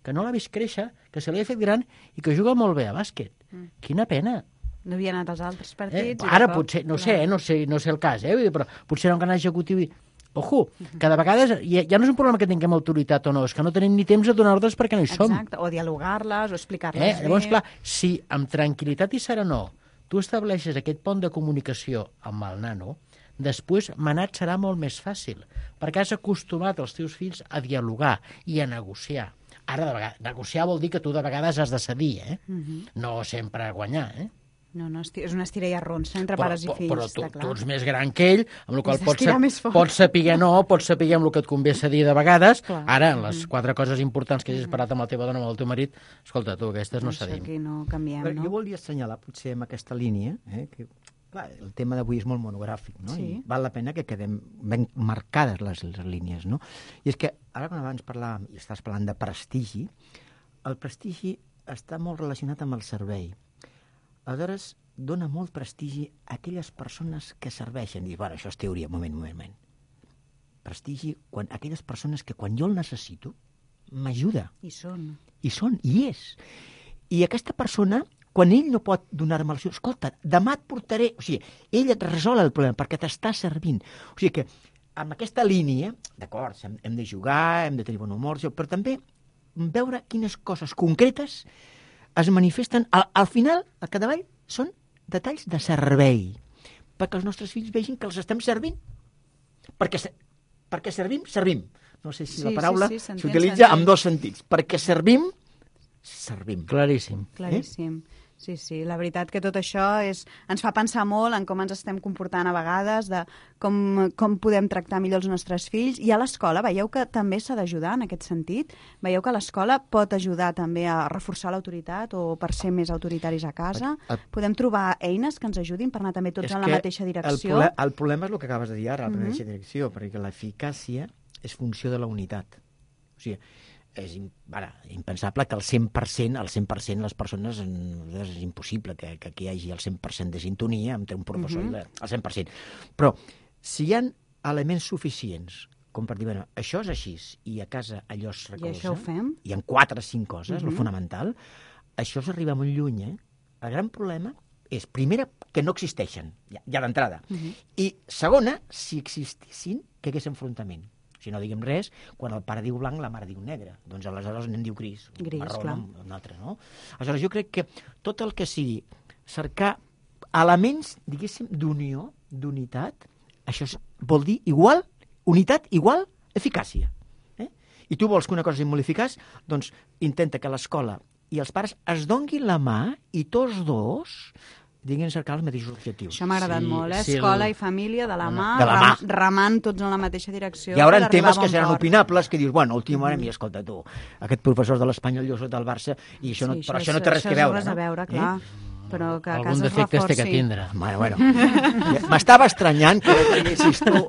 que no l'ha vist créixer, que se li ha fet gran i que juga molt bé a bàsquet. Mm. Quina pena. No havia anat als altres partits. Eh? Ara potser, no sé, eh? no sé, no sé el cas, eh? Però potser era un gran executiu i... Ojo, que de vegades ja, ja no és un problema que tinguem autoritat o no, és que no tenim ni temps de donar ordres perquè no hi som. Exacte, o dialogar-les, o explicar-les eh? bé. Llavors, clar, si amb tranquil·litat i serenor tu estableixes aquest pont de comunicació amb el nano, després manat serà molt més fàcil, perquè has acostumat els teus fills a dialogar i a negociar. Ara, de vegades, negociar vol dir que tu de vegades has de cedir, eh? Uh-huh. No sempre guanyar, eh? No, no, és una estira i arronsa entre però, pares i fills, però tu, està clar. tu ets més gran que ell, amb la qual Has pots, d'estirar pots saber no, pots saber amb el que et convé cedir de vegades. Clar. Ara, en les quatre coses importants que hagis parat amb la teva dona o amb el teu marit, escolta, tu, aquestes no Això cedim. aquí no canviem, Però no? jo volia assenyalar, potser, amb aquesta línia, eh, que clar, el tema d'avui és molt monogràfic, no? Sí. I val la pena que quedem ben marcades les, les línies, no? I és que, ara quan abans parlàvem, i estàs parlant de prestigi, el prestigi està molt relacionat amb el servei. Aleshores, dona molt prestigi a aquelles persones que serveixen. I, bueno, això és teoria, moment, moment, moment. Prestigi quan aquelles persones que quan jo el necessito, m'ajuda. I són. I són, i és. I aquesta persona, quan ell no pot donar-me el seu... Escolta, demà et portaré... O sigui, ell et resol el problema perquè t'està servint. O sigui que, amb aquesta línia, d'acord, hem, hem de jugar, hem de tenir bon humor, però també veure quines coses concretes es manifesten. Al, al final, al capdavall, són detalls de servei, perquè els nostres fills vegin que els estem servint. Perquè, perquè servim, servim. No sé si sí, la paraula s'utilitza amb dos sentits. Perquè servim, servim. Claríssim. Claríssim. Eh? Sí, sí, la veritat que tot això és, ens fa pensar molt en com ens estem comportant a vegades, de com, com podem tractar millor els nostres fills. I a l'escola veieu que també s'ha d'ajudar en aquest sentit? Veieu que l'escola pot ajudar també a reforçar l'autoritat o per ser més autoritaris a casa? El, el, Podem trobar eines que ens ajudin per anar també tots en la mateixa direcció? El, el problema és el que acabes de dir ara, la mm-hmm. mateixa direcció, perquè l'eficàcia és funció de la unitat. O sigui, és ara, impensable que el cent per cent, el cent per cent les persones, és impossible que, que, que hi hagi el cent per cent de sintonia entre un professor uh-huh. i el cent per cent. Però si hi ha elements suficients com per dir, bueno, això és així i a casa allò es recolza, i això ho fem? Hi ha quatre o cinc coses, uh-huh. el fonamental, això s'arriba molt lluny, eh? El gran problema és, primera, que no existeixen, ja, ja d'entrada, uh-huh. i segona, si existissin, que hagués enfrontament. Si no diguem res, quan el pare diu blanc, la mare diu negre. Doncs aleshores el nen diu gris. Gris, marró, clar. Un altre, no? Aleshores, jo crec que tot el que sigui cercar elements, diguéssim, d'unió, d'unitat, això vol dir igual, unitat igual, eficàcia. Eh? I tu vols que una cosa sigui molt eficaç? Doncs intenta que l'escola i els pares es donguin la mà i tots dos diguin cercar els mateixos objectius. Això m'ha agradat sí, molt, eh? sí, Escola el... i família de la mà, de la mà. Ram, remant tots en la mateixa direcció. Hi haurà per temes que bon seran port. opinables, que dius, bueno, última hora, mm. mira, escolta, tu, aquest professor de l'Espanyol, jo soc del Barça, i això, sí, no, això però és, això no té res això que veure. Res a veure, no? clar. Eh? Però que a algun casa es defecte reforci. té que tindre. Bueno, bueno. M'estava estranyant que no traguessis tu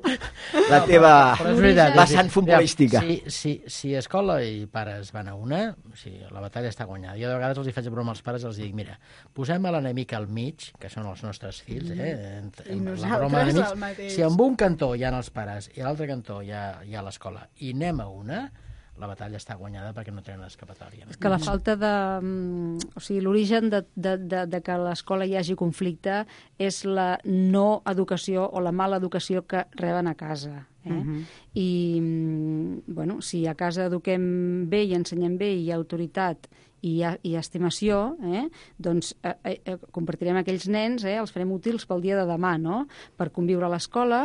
la teva però, però vessant futbolística. Si, si, si escola i pares van a una, o sigui, la batalla està guanyada. Jo de vegades els hi faig broma als pares i els dic, mira, posem a l'enemic al mig, que són els nostres fills, eh? En, I en, nosaltres la broma d'enemics, el mateix. si en un cantó hi ha els pares i a l'altre cantó hi ha, hi ha l'escola i anem a una, la batalla està guanyada perquè no tenen escapatòria. És que la falta de... O sigui, l'origen de, de, de, de que a l'escola hi hagi conflicte és la no educació o la mala educació que reben a casa. Eh? Uh-huh. I, bueno, si a casa eduquem bé i ensenyem bé i hi ha autoritat i hi ha, hi ha estimació, eh? doncs eh, eh, compartirem aquells nens, eh? els farem útils pel dia de demà, no? Per conviure a l'escola,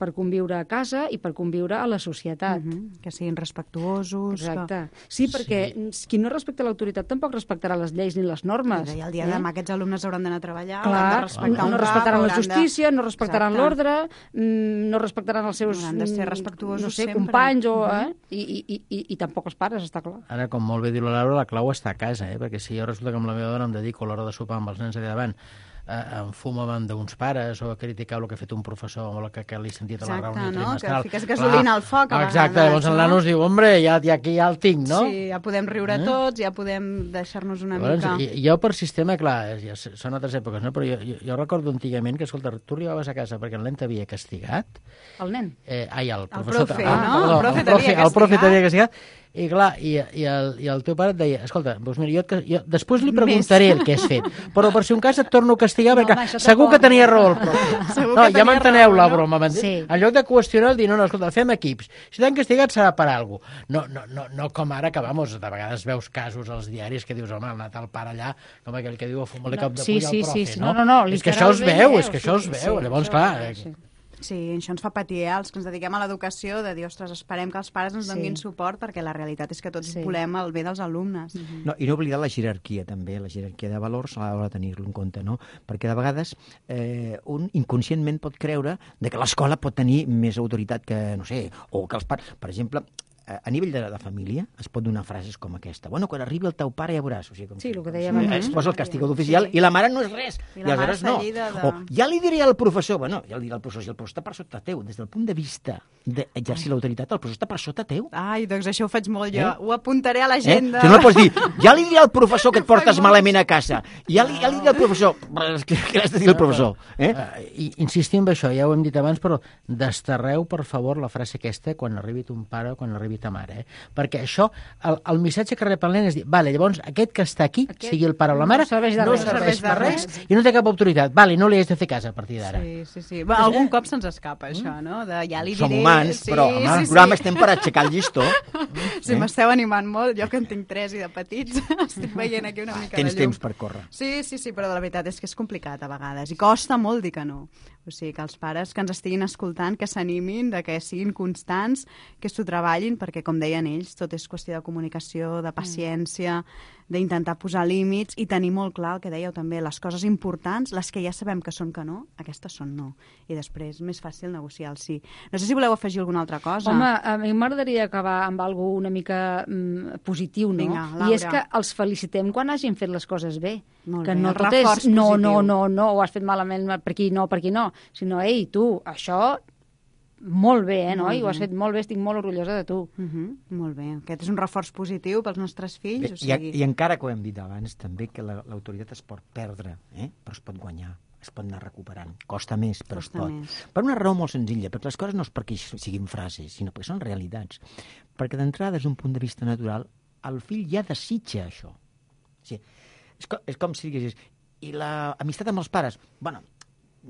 per conviure a casa i per conviure a la societat. Uh-huh. Que siguin respectuosos. Exacte. Sí, perquè sí. qui no respecta l'autoritat tampoc respectarà les lleis ni les normes. I el dia de demà aquests alumnes hauran d'anar a treballar, Clar, hauran de respectar no, no un respectaran cap, la justícia, de... no respectaran l'ordre, no respectaran els seus hauran de ser respectuosos no sé, sempre. companys, o, uh-huh. eh? I, i, i, i tampoc els pares, està clar. Ara, com molt bé diu la Laura, la clau està a casa, eh? Perquè si jo resulta que amb la meva dona em dedico a l'hora de sopar amb els nens allà davant a enfumar davant d'uns pares o a criticar el que ha fet un professor o el que, que li he sentit a la Exacte, reunió no? trimestral. Que fiques gasolina al foc a Exacte, vegades, llavors el no? nano es diu, hombre, ja, ja aquí ja el tinc, no? Sí, ja podem riure eh? tots, ja podem deixar-nos una llavors, mica... I, jo per sistema, clar, ja són altres èpoques, no? Però jo, jo, jo recordo antigament que, escolta, tu arribaves a casa perquè el nen t'havia castigat. El nen? Eh, ai, el El professor... profe, ah, no? perdó, El profe el t'havia profe, el profe castigat. t'havia castigat. I clar, i, i, el, i el teu pare et deia, escolta, doncs mira, jo, et, jo després li preguntaré el que has fet, però per si un cas et torno a castigar, No, perquè home, segur que tenia raó el profe. Segur No, que ja tenia m'enteneu raó, la no? broma, m'entens? Sí. En lloc de qüestionar, dir, no, no, escolta, fem equips. Si t'han castigat serà per alguna cosa. No, no, no, no com ara que, vamos, de vegades veus casos als diaris que dius, home, ha anat el pare allà, com aquell que diu a fumar-li No, cop de sí, puny sí, al profe, sí, sí. no? No, no, no, és que això es literalment veu, veu, és que això es sí, veu. sí, Llavors, això clar... es veu, sí. Sí, això ens fa patir, eh? Els que ens dediquem a l'educació, de dir, ostres, esperem que els pares ens donin Sí. suport, perquè la realitat és que tots Sí. volem el bé dels alumnes. Mhm. No, I no oblidar la jerarquia, també, la jerarquia de valors a l'hora de tenir-lo en compte, no? Perquè de vegades eh, un inconscientment pot creure de que l'escola pot tenir més autoritat que, no sé, o que els pares... Per exemple, a nivell de, de família es pot donar frases com aquesta. Bueno, quan arribi el teu pare ja veuràs. O sigui, com Sí, que, el que dèiem eh, abans. es posa el castigador oficial Sí. i la mare no és res. I la mare aleshores està no. lleida de- O ja li diré al professor, bueno, ja li diré al professor, si el professor està per sota teu, des del punt de vista d'exercir l'autoritat, el professor està per sota teu. Ai, doncs això ho faig molt jo. Eh? Ho apuntaré a Eh? l'agenda. Si no, no pots dir, ja li diré al professor que et portes Faig malament a casa. Ja li, ja li diré al professor. Què, què has de dir al professor? Eh? Uh, i, insistim en això, ja ho hem dit abans, però desterreu, per favor, la frase aquesta quan arribi ton pare o quan arribi i ta mare, eh? Perquè això, el, el missatge que rep el nen és dir, vale, llavors aquest que està aquí, aquest sigui el pare o la mare, no serveix de no res, serveix de per res, res. i no té cap autoritat. Vale, no li has de fer cas a partir d'ara. Sí, sí, sí. Va, algun cop se'ns escapa, això, no? De, ja li diré... Som humans, sí, però, home, sí, el programa sí. estem per aixecar el llistó. Sí, Eh? m'esteu animant molt. Jo que en tinc tres i de petits estic veient aquí una mica Tens de llum. temps per córrer. Sí, sí, sí, però la veritat és que és complicat a vegades i costa molt dir que no. O sigui, que els pares que ens estiguin escoltant, que s'animin, de que siguin constants, que s'ho treballin, perquè, com deien ells, tot és qüestió de comunicació, de paciència, d'intentar posar límits i tenir molt clar el que dèieu també, les coses importants, les que ja sabem que són que no, aquestes són no. I després, més fàcil negociar el sí. No sé si voleu afegir alguna altra cosa. Home, a mi m'agradaria acabar amb algo una mica mm, positiu, no? Vinga, Laura. I és que els felicitem quan hagin fet les coses bé. Molt que bé, no el tot reforç és no, no, positiu. no, no, ho has fet malament per aquí, no, per aquí no, sinó, ei, tu, això molt bé, eh, noi? Ho has fet molt bé, estic molt orgullosa de tu. Uh -huh, molt bé. Aquest és un reforç positiu pels nostres fills. Bé, o sigui... i, I encara que ho hem dit abans, també que la- l'autoritat es pot perdre, eh? Però es pot guanyar, es pot anar recuperant. Costa més, però Costa es pot. més. Per una raó molt senzilla, perquè les coses no és perquè siguin frases, sinó perquè són realitats. Perquè d'entrada, des d'un punt de vista natural, el fill ja desitja això. O sigui, és, com, és com si diguessis, i l'amistat amb els pares? Bueno,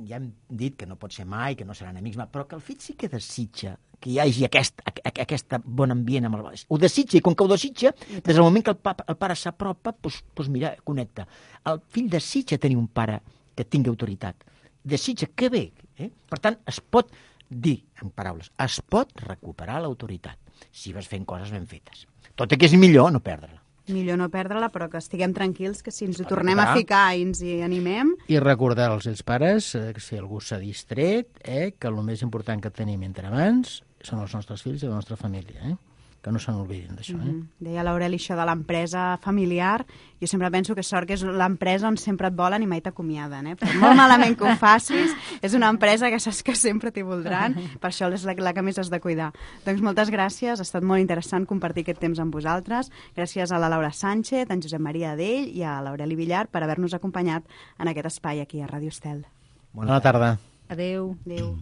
ja hem dit que no pot ser mai, que no seran amics, però que el fill sí que desitja que hi hagi aquest, aquest bon ambient amb el pares. Ho desitja, i com que ho desitja, des del moment que el, papa, el pare s'apropa, doncs, doncs mira, connecta. El fill desitja tenir un pare que tingui autoritat. Desitja que bé. Eh? Per tant, es pot dir, en paraules, es pot recuperar l'autoritat si vas fent coses ben fetes. Tot i que és millor no perdre-la. Millor no perdre-la, però que estiguem tranquils, que si ens ho pot tornem a recuperar. ficar i ens hi animem... I recordar als seus pares, eh, que si algú s'ha distret, eh, que el més important que tenim entre mans són els nostres fills i la nostra família, eh? Que no se n'oblidin d'això, eh? Mm -hmm. Deia l'Aureli això de l'empresa familiar. Jo sempre penso que sort que és l'empresa on sempre et volen i mai t'acomiaden, eh? Per molt malament que ho facis, és una empresa que saps que sempre t'hi voldran, per això és la, la que més has de cuidar. Doncs moltes gràcies, ha estat molt interessant compartir aquest temps amb vosaltres. Gràcies a la Laura Sánchez, a en Josep Maria Adell i a l'Aureli Villar per haver-nos acompanyat en aquest espai aquí a Ràdio Estel. Bona tarda. Adéu. Adéu.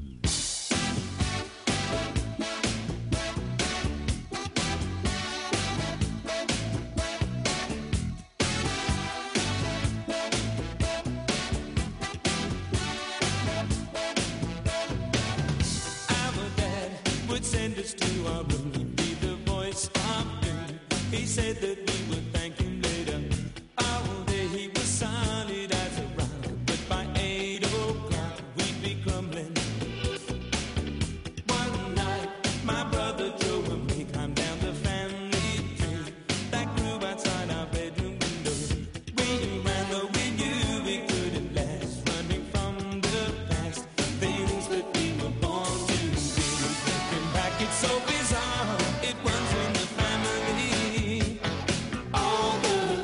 Send us to our room, he'd be the voice of doom. He said that we would thank him later. All day he was solid as a rock, but by eight o'clock we'd be crumbling. One night, my brother Joe and me climbed down the family tree that grew outside our bedroom window. We ran, though we knew we couldn't last, running from the past, things that we were born to be. It's so bizarre, it runs in the family. All the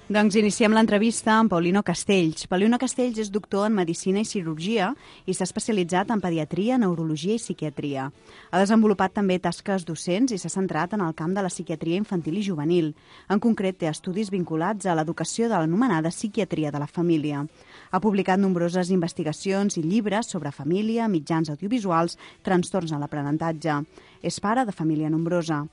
Doncs iniciem l'entrevista amb Paulino Castells. Paulino Castells és doctor en Medicina i Cirurgia i s'ha especialitzat en Pediatria, Neurologia i Psiquiatria. Ha desenvolupat també tasques docents i s'ha centrat en el camp de la psiquiatria infantil i juvenil. En concret, té estudis vinculats a l'educació de l'anomenada psiquiatria de la família. Ha publicat nombroses investigacions i llibres sobre família, mitjans audiovisuals, trastorns en l'aprenentatge. És pare de família nombrosa.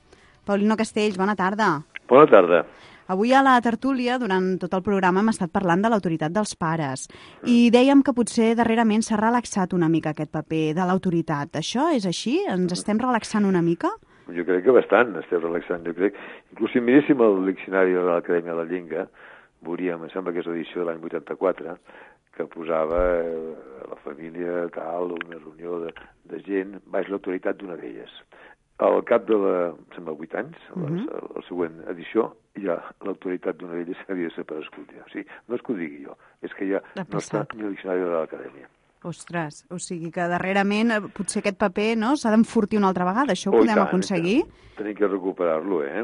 Paulino Castells, bona tarda. Bona tarda. Avui a la tertúlia, durant tot el programa, hem estat parlant de l'autoritat dels pares i dèiem que potser darrerament s'ha relaxat una mica aquest paper de l'autoritat. Això és així? Ens estem relaxant una mica? Jo crec que bastant estem relaxant, jo crec. Inclús si miréssim el diccionari de l'Acadèmia de la Llengua, veuríem, em sembla que és l'edició de l'any vuitanta-quatre, que posava eh, la família tal, una reunió de, de gent, baix l'autoritat d'una d'elles. Al cap de la, sembla, vuit anys, uh -huh. la, la següent edició, ja l'autoritat d'una d'elles havia desaparegut. Ja. O sigui, no és que ho digui jo, és que ja no està ni al diccionari de l'Acadèmia. Ostres, o sigui que darrerament potser aquest paper no s'ha d'enfortir una altra vegada. Això ho oh, podem tant, aconseguir? Tenim que recuperar-lo, eh?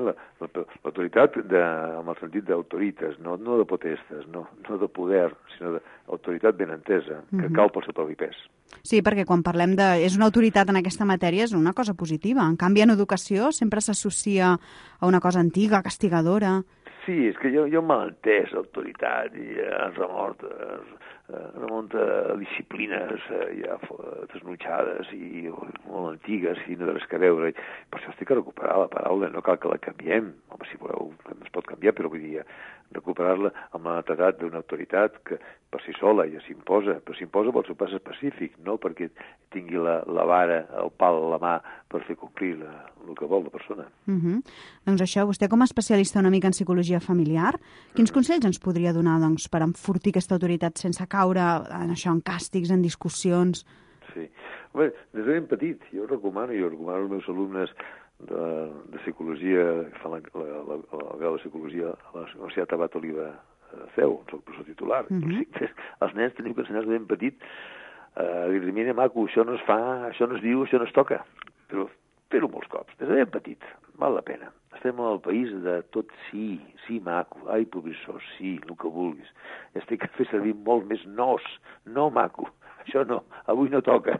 L'autoritat amb el sentit d'autoritas, no, no de potestas, no, no de poder, sinó d'autoritat ben entesa, que uh -huh. cal pel seu propi pes. Sí, perquè quan parlem de... és una autoritat en aquesta matèria, és una cosa positiva. En canvi, en educació sempre s'associa a una cosa antiga, castigadora. Sí, és que jo, jo m'he entès autoritat i ens remort, remunta a disciplines ja desnutxades i molt antigues i no té res que veure. Per això estic a recuperar la paraula, no cal que la canviem. Home, si voleu, es pot canviar, però vull dir, recuperar-la amb la netedat d'una autoritat que per si sola ja s'imposa, però s'imposa pel seu pas específic, no perquè tingui la, la vara, el pal a la mà per fer complir la, el que vol la persona. Uh -huh. Doncs això, vostè com a especialista una mica en psicologia familiar, quins uh -huh. consells ens podria donar doncs, per enfortir aquesta autoritat sense caure en això, en càstigs, en discussions? Sí. Bé, des de ben petit, jo recomano, jo recomano als meus alumnes de, de psicologia, que fan la, la, la, la grau de psicologia a la Universitat Abat Oliva Seu, soc professor titular. Uh -huh. Els nens teniu que ensenyar de ben petit a uh, dir, mira, maco, això no es fa, això no es diu, això no es toca. Però fer-ho molts cops, des de ben petit, val la pena. Estem al país de tot sí, sí, maco, ai, professor, sí, el que vulguis. Estic a fer servir molt més nos, no, maco, això no, avui no toca.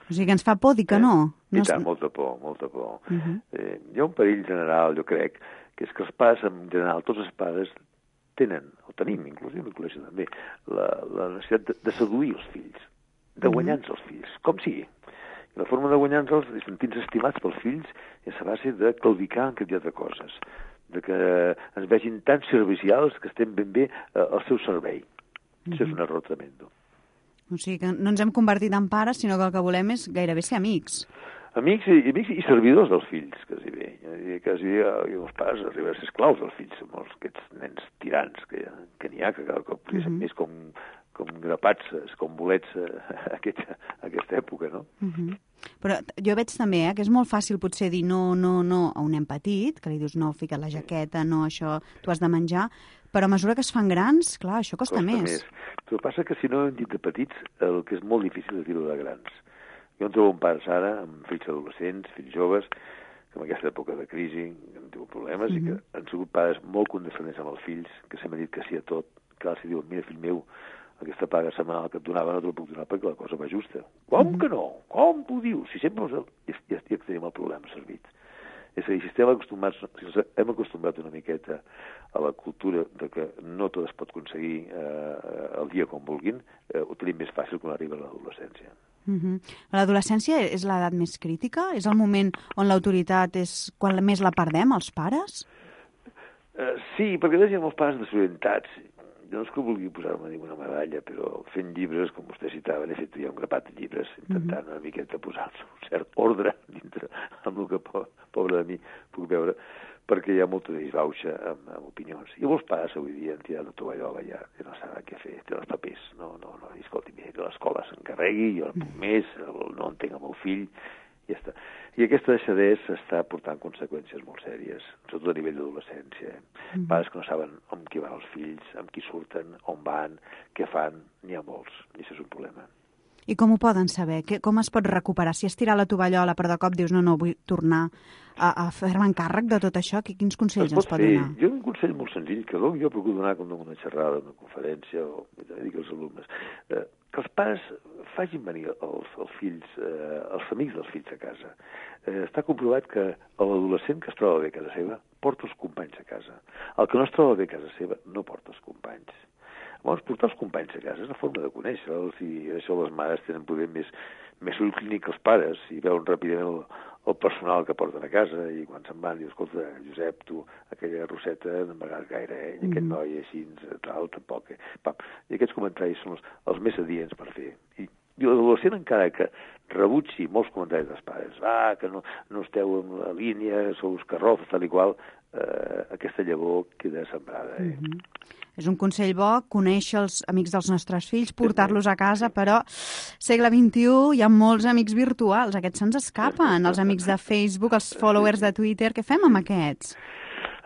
O sigui que ens fa por dir que no. Eh? no I tant, molta por, molta por. Uh -huh. eh, hi ha un perill general, jo crec, que és que els pares, en general, tots els pares, tenen, o tenim, inclús jo m'incloeixo també, la, la necessitat de, de seduir els fills, de guanyar-nos els fills, com sigui. I la forma de guanyar-nos els, sentir-nos estimats pels fills, és a base de claudicar en quantitat de coses, de que ens vegin tan servicials que estem ben bé eh, al seu servei. Uh -huh. Això és un error tremendo. O sigui que no ens hem convertit en pares, sinó que el que volem és gairebé ser amics. Amics i, amics i servidors dels fills, quasi bé. Quasi bé, els pares arriben a ser esclaus dels fills, molts aquests nens tirans que, que n'hi ha, que cada cop uh -huh. més com, com grapats, com bolets a aquesta, a aquesta època, no? Uh -huh. Però jo veig també eh, que és molt fàcil potser dir no, no, no a un nen petit, que li dius no, fica't la jaqueta, no, això, tu has de menjar, però a mesura que es fan grans, clar, això costa, costa més. més. Però passa que si no ho hem dit de petits, el que és molt difícil és dir-ho de grans. Jo en trobo un pares ara, amb fills adolescents, fills joves, que en aquesta època de crisi han tingut problemes uh -huh. i que han sigut pares molt condescendents amb els fills, que s'han dit que sí a tot, que ara si diuen, mira, fill meu, aquesta paga setmanal que et donava no te la puc donar perquè la cosa va justa. Com uh -huh. que no? Com ho dius? Si sempre ja, ja, ja tenim el problema servit. És a dir, si estem acostumats, si hem acostumbrat una miqueta a la cultura de que no tot es pot aconseguir eh, el dia com vulguin, eh, ho tenim més fàcil quan arriba l'adolescència. Uh -huh. L'adolescència és l'edat més crítica? És el moment on l'autoritat és quan més la perdem, els pares? Uh, sí, perquè hi ha molts pares desorientats. Jo no és que vulgui posar-me ninguna medalla, però fent llibres, com vostè citava, he fet ja un grapat de llibres, intentant uh -huh. una miqueta posar-se un cert ordre dintre amb el que, po pobre de mi, puc veure, perquè hi ha molta disbauxa amb, amb opinions. I molts pares avui dia han tirat la tovallola ja, ja no saben què fer, té els papers. No, no, no, escolti, mira, que l'escola s'encarregui, jo no puc més, no entenc el meu fill, i ja està. I aquesta deixadesa està portant conseqüències molt sèries, sobretot a nivell d'adolescència. Eh? Mm. Pares que no saben amb qui van els fills, amb qui surten, on van, què fan, n'hi ha molts, i això és un problema. I com ho poden saber? Que, com es pot recuperar? Si has tirat la tovallola però de cop dius no, no, vull tornar a, a fer-me encàrrec de tot això, que, quins consells es ens pot donar? Jo un consell molt senzill, que jo procuro donar com una xerrada, una conferència, o dic als alumnes, eh, que els pares facin venir els, els fills, eh, els amics dels fills a casa. Eh, està comprovat que l'adolescent que es troba bé a casa seva porta els companys a casa. El que no es troba bé a casa seva no porta els companys. Llavors, portar els companys a casa és una forma de conèixer-los i això les mares tenen poder més, més ull clínic que els pares i veuen ràpidament el, el personal que porten a casa i quan se'n van diu, escolta, Josep, tu, aquella Roseta no m'agrada gaire, eh? I aquest noi així, tal, tampoc. Eh? Pam. I aquests comentaris són els, els més adients per fer. I, i l'adolescent, encara que rebutgi molts comentaris dels pares, ah, que no, no esteu en la línia, sou uns carrofs, tal i qual, eh, aquesta llavor queda sembrada. Eh? Mm-hmm. És un consell bo, conèixer els amics dels nostres fills, portar-los a casa, però segle vint-i-u hi ha molts amics virtuals, aquests se'ns escapen, els amics de Facebook, els followers de Twitter, què fem amb aquests?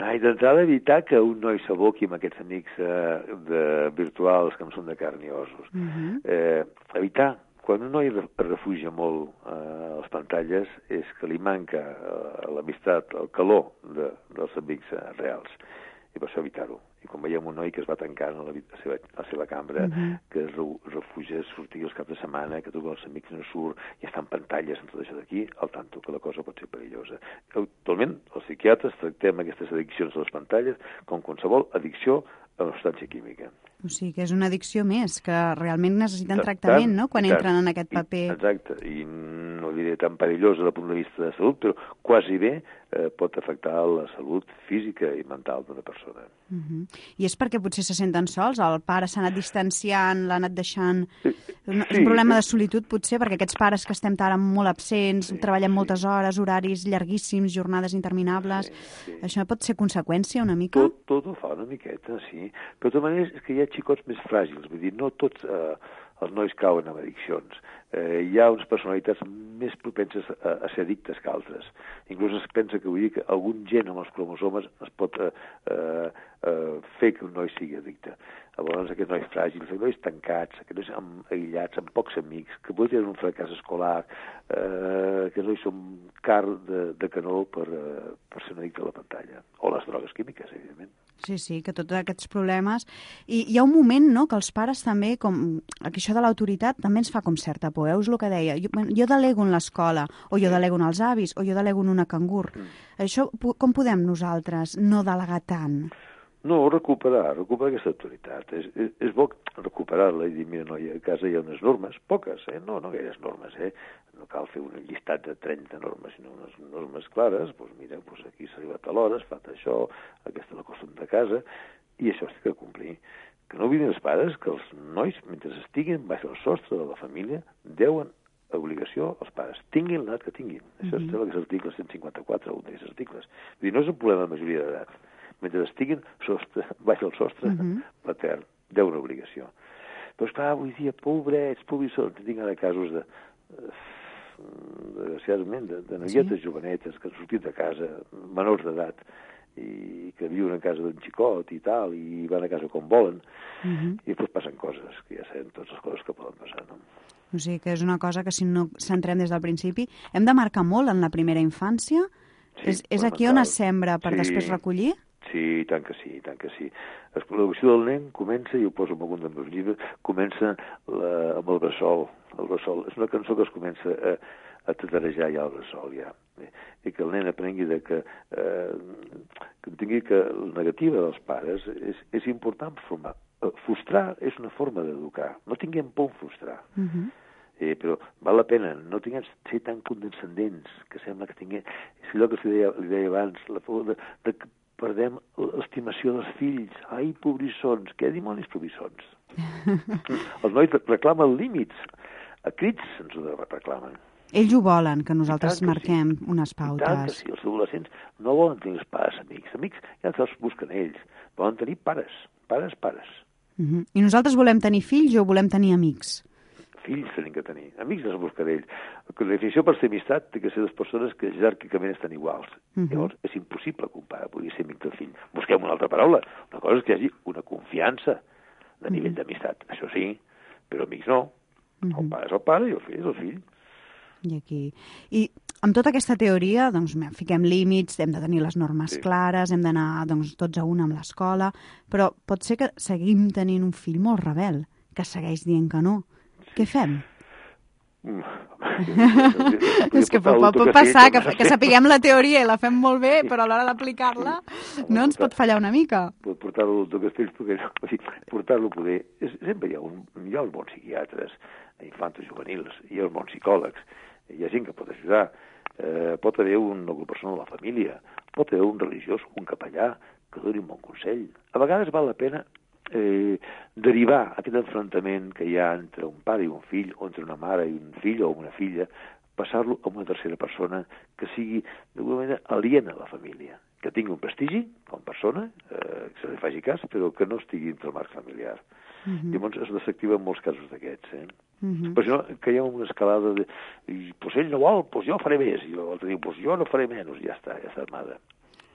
Ai, d'entrada evitar que un noi s'aboqui amb aquests amics eh, de, virtuals que no són de carn i ossos. Uh-huh. eh, evitar, quan un noi es refugia molt eh, a les pantalles, és que li manca eh, l'amistat, el calor de, dels amics eh, reals. I per això evitar-ho. I quan veiem un noi que es va tancant a la, a seva, a la seva cambra, uh-huh. que es refugia a sortir els caps de setmana, que tots els amics no surt, i està en pantalles, en tot això d'aquí, al tanto, que la cosa pot ser perillosa. Actualment, els psiquiatres tractem aquestes addiccions a les pantalles com qualsevol addicció a la substància química. O sigui, que és una addicció més, que realment necessiten tractament, no?, quan entren en aquest paper. I, exacte, i no diré tan perillosa des del punt de vista de salut, però quasi bé eh, pot afectar la salut física i mental d'una persona. Uh-huh. I és perquè potser se senten sols? El pare s'ha anat distanciant, l'ha anat deixant... Sí, un, sí, un problema sí. de solitud, potser, perquè aquests pares que estem ara molt absents, sí, treballen sí. moltes hores, horaris llarguíssims, jornades interminables... Sí, sí. Això pot ser conseqüència una mica? Tot, tot ho fa una miqueta, sí. Però de tota manera és que hi ha xicots més fràgils, vull dir, no tots eh, els nois cauen en addiccions. Eh, hi ha unes personalitats més propenses a, a ser addictes que altres. Inclús es pensa que, vull dir, que algun gen amb els cromosomes es pot eh, eh, eh, fer que un noi sigui addicte. Llavors, aquests nois fràgils, aquests nois tancats, aquests nois amb, aïllats, amb pocs amics, que poden tenir un fracàs escolar, eh, aquests nois són car de, de canó per, eh, per ser un addicte a la pantalla. O les drogues químiques, evidentment. Sí, sí, que tots aquests problemes... I hi ha un moment, no?, que els pares també, com això de l'autoritat, també ens fa com certa por, eh? És el que deia. Jo, jo delego en l'escola, o jo delego en els avis, o jo delego en una cangur. Mm. Això, com podem nosaltres no delegar tant? No, recuperar, recuperar aquesta autoritat. És, és, és bo recuperar-la i dir, mira, no, a casa hi ha unes normes, poques, eh? No, no gaires normes, eh? No cal fer un llistat de trenta normes, sinó unes normes clares, doncs mira, doncs aquí s'ha arribat a l'hora, es fa això, aquesta és la costum de casa, i això s'ha de complir. Que no oblidin els pares que els nois, mentre estiguin baix el sostre de la família, deuen obligació als pares, tinguin l'edat que tinguin. Això mm-hmm. és l'article cent cinquanta-quatre, un d'aquests articles. Vull dir, no és un problema de majoria d'edat. Mentre estiguin sostre, baix el sostre mm-hmm. patern, deuen obligació. Però, esclar, avui dia, pobrets, pobrissons, tinc ara casos de... desgraciadament, de, de noietes sí. jovenetes que han sortit de casa, menors d'edat, i que viuen a casa d'un xicot i tal, i van a casa com volen, uh-huh. i després passen coses, que ja sabem totes les coses que poden passar, no? O sigui, que és una cosa que si no centrem des del principi, hem de marcar molt en la primera infància? Sí, és, és aquí on es sembra per sí. després recollir? Sí, tant que sí, tant que sí. L'educació del nen comença, i ho poso en algun dels meus llibres, comença la, amb el bressol. El bressol és una cançó que es comença a, a tatarejar ja al bressol, ja. I que el nen aprengui de que, eh, que tingui que la negativa dels pares és, és important formar. Frustrar és una forma d'educar. No tinguem por en frustrar. Uh-huh. Eh, però val la pena, no tinguem ser tan condescendents, que sembla que tinguem... És allò que li deia, li deia abans, la por de, de que perdem l'estimació dels fills. Ai, pobrissons, què dimonis pobrissons? Els nois reclamen límits, a crits ens ho reclamen. Ells ho volen, que nosaltres marquem sí. unes pautes. I tant que sí, els adolescents no volen tenir els pares amics. Amics ja els busquen ells, volen tenir pares, pares, pares. Uh-huh. I nosaltres volem tenir fills o volem tenir amics? Fills tenim que tenir, amics els busquen ells. La definició per ser amistat té que ser les persones que jeràrquicament estan iguals. Uh-huh. Llavors és impossible que un pare pugui ser amic del fill. Busquem una altra paraula. Una cosa és que hi hagi una confiança de nivell uh-huh. d'amistat. Això sí, però amics no. El pare és el pare i el fill és el fill. I aquí... I amb tota aquesta teoria, doncs, fiquem límits, hem de tenir les normes Sí. clares, hem d'anar doncs, tots a una amb l'escola, però pot ser que seguim tenint un fill molt rebel, que segueix dient que no. Què fem? Mm. És que pot, pot, pot passar que, que sapiguem la teoria i la fem molt bé, però a l'hora d'aplicar-la no ens pot fallar una mica. Pot portar-lo al doctor Castells, perquè no, o sigui, portar-lo a poder... És, sempre hi ha, un, hi ha uns bons psiquiatres, infantos juvenils, hi ha uns bons psicòlegs, hi ha gent que pot ajudar, eh, pot haver un, una persona de la família, pot haver un religiós, un capellà, que doni un bon consell. A vegades val la pena eh, derivar aquest enfrontament que hi ha entre un pare i un fill, o entre una mare i un fill o una filla, passar-lo a una tercera persona que sigui, d'alguna manera, aliena a la família, que tingui un prestigi com a persona, eh, que se li faci cas, però que no estigui entre el marc familiar. Mhm. Llavors es desactiva en molts casos d'aquests, eh? Mhm. Però si no, caiem en una escalada de... I, pues ell no vol, pues jo faré més. I l'altre diu, pues jo no faré menys. Ja està, ja està armada.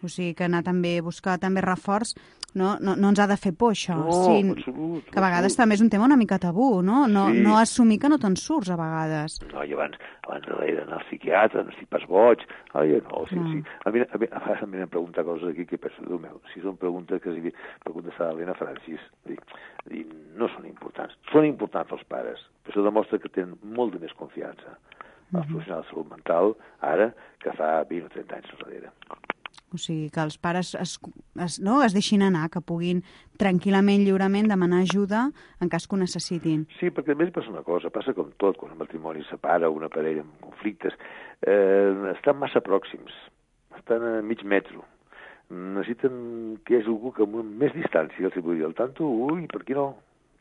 O sigui, que anar també, buscar també reforç, no, no, no ens ha de fer por, això. No, sí, en absolut. que a vegades absolut. també és un tema una mica tabú, no? No, Sí. no assumir que no te'n surts, a vegades. No, i abans, abans de d'anar al psiquiatre, no estic pas boig. Ai, no, sí, No. sí. A mi, a mi, a vegades em venen a preguntar coses aquí que penso, Déu meu, si són preguntes que si preguntes a l'Helena Francis, dic, dic, no són importants. Són importants els pares, però això demostra que tenen molt de més confiança als professionals de salut mental ara que fa vint o trenta anys enrere. O sigui, que els pares es, es, no, es deixin anar, que puguin tranquil·lament, lliurement, demanar ajuda en cas que ho necessitin. Sí, perquè també passa una cosa, passa com tot, quan un matrimoni es separa, una parella amb conflictes, eh, estan massa pròxims, estan a mig metro. Necessiten que hi hagi algú que amb més distància els hi pugui dir al tanto, ui, per aquí no,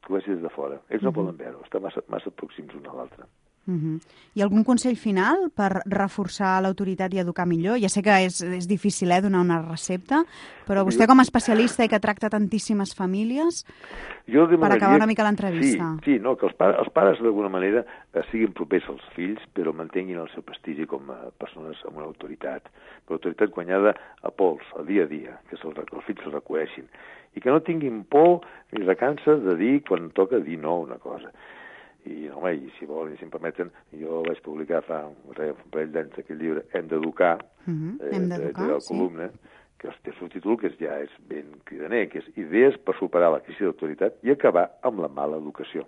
que ho vegi des de fora. Ells no poden veure, estan massa, massa pròxims un a l'altre. Uh -huh. Hi ha algun consell final per reforçar l'autoritat i educar millor? Ja sé que és, és difícil eh, donar una recepta, però vostè com a especialista i que tracta tantíssimes famílies, Jo per acabar una mica l'entrevista. Sí, sí, no, que els pares, els pares d'alguna manera eh, siguin propers als fills, però mantinguin el seu prestigi com a persones amb una autoritat. Però autoritat guanyada a pols, a dia a dia, que se'l, els fills se'l reconeixin. I que no tinguin por ni recança de dir quan toca dir no a una cosa. I, home, i si volen i si em permeten, jo vaig publicar fa un parell d'anys aquest llibre, Hem d'educar, Uh -huh. eh, Hem de, d'educar, de la sí. columna, que té el subtítol que és, ja és ben cridaner, que és Idees per superar la crisi d'autoritat i acabar amb la mala educació.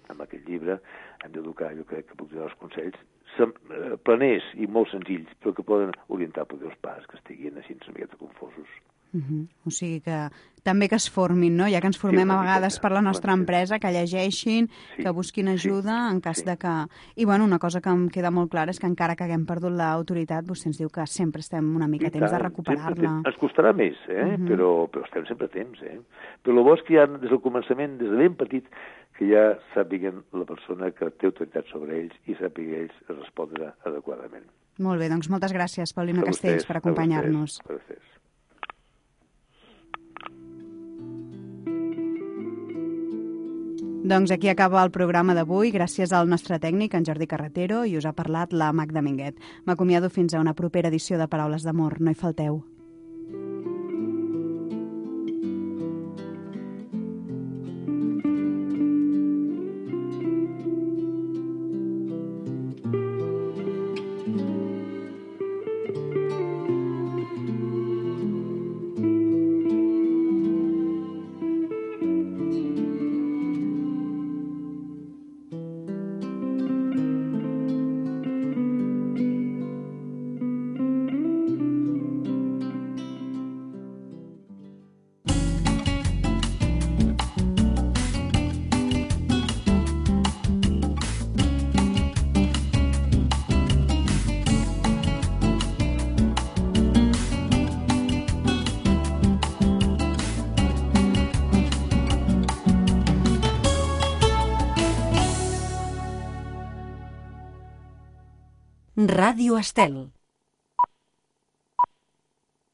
Amb aquest llibre hem d'educar, jo crec que puc donar els consells sem, eh, planers i molt senzills, però que poden orientar poder els pares que estiguin així una miqueta confosos. Uh -huh. O sigui que també que es formin, no? Ja que ens formem Sí, a una vegades miqueta, per la nostra una empresa, que llegeixin, Sí, que busquin ajuda sí, en cas sí. de que... I, bueno, una cosa que em queda molt clara és que encara que haguem perdut l'autoritat, vostè ens diu que sempre estem una mica a I temps de tant, recuperar-la. sempre Ens costarà més, eh? Mhm. però, però estem sempre a temps. Eh? Però el bo és que ja des del començament, des de ben petit, que ja sàpiguen la persona que té autoritat sobre ells i sàpiga ells respondre adequadament. Molt bé, doncs moltes gràcies, Paulina A Castells, vostès, per a acompanyar-nos. vostès, a vostès. Doncs aquí acaba el programa d'avui, gràcies al nostre tècnic, en Jordi Carretero, i us ha parlat la Magda Minguet. M'acomiado fins a una propera edició de Paraules d'Amor. No hi falteu. Ràdio Estel.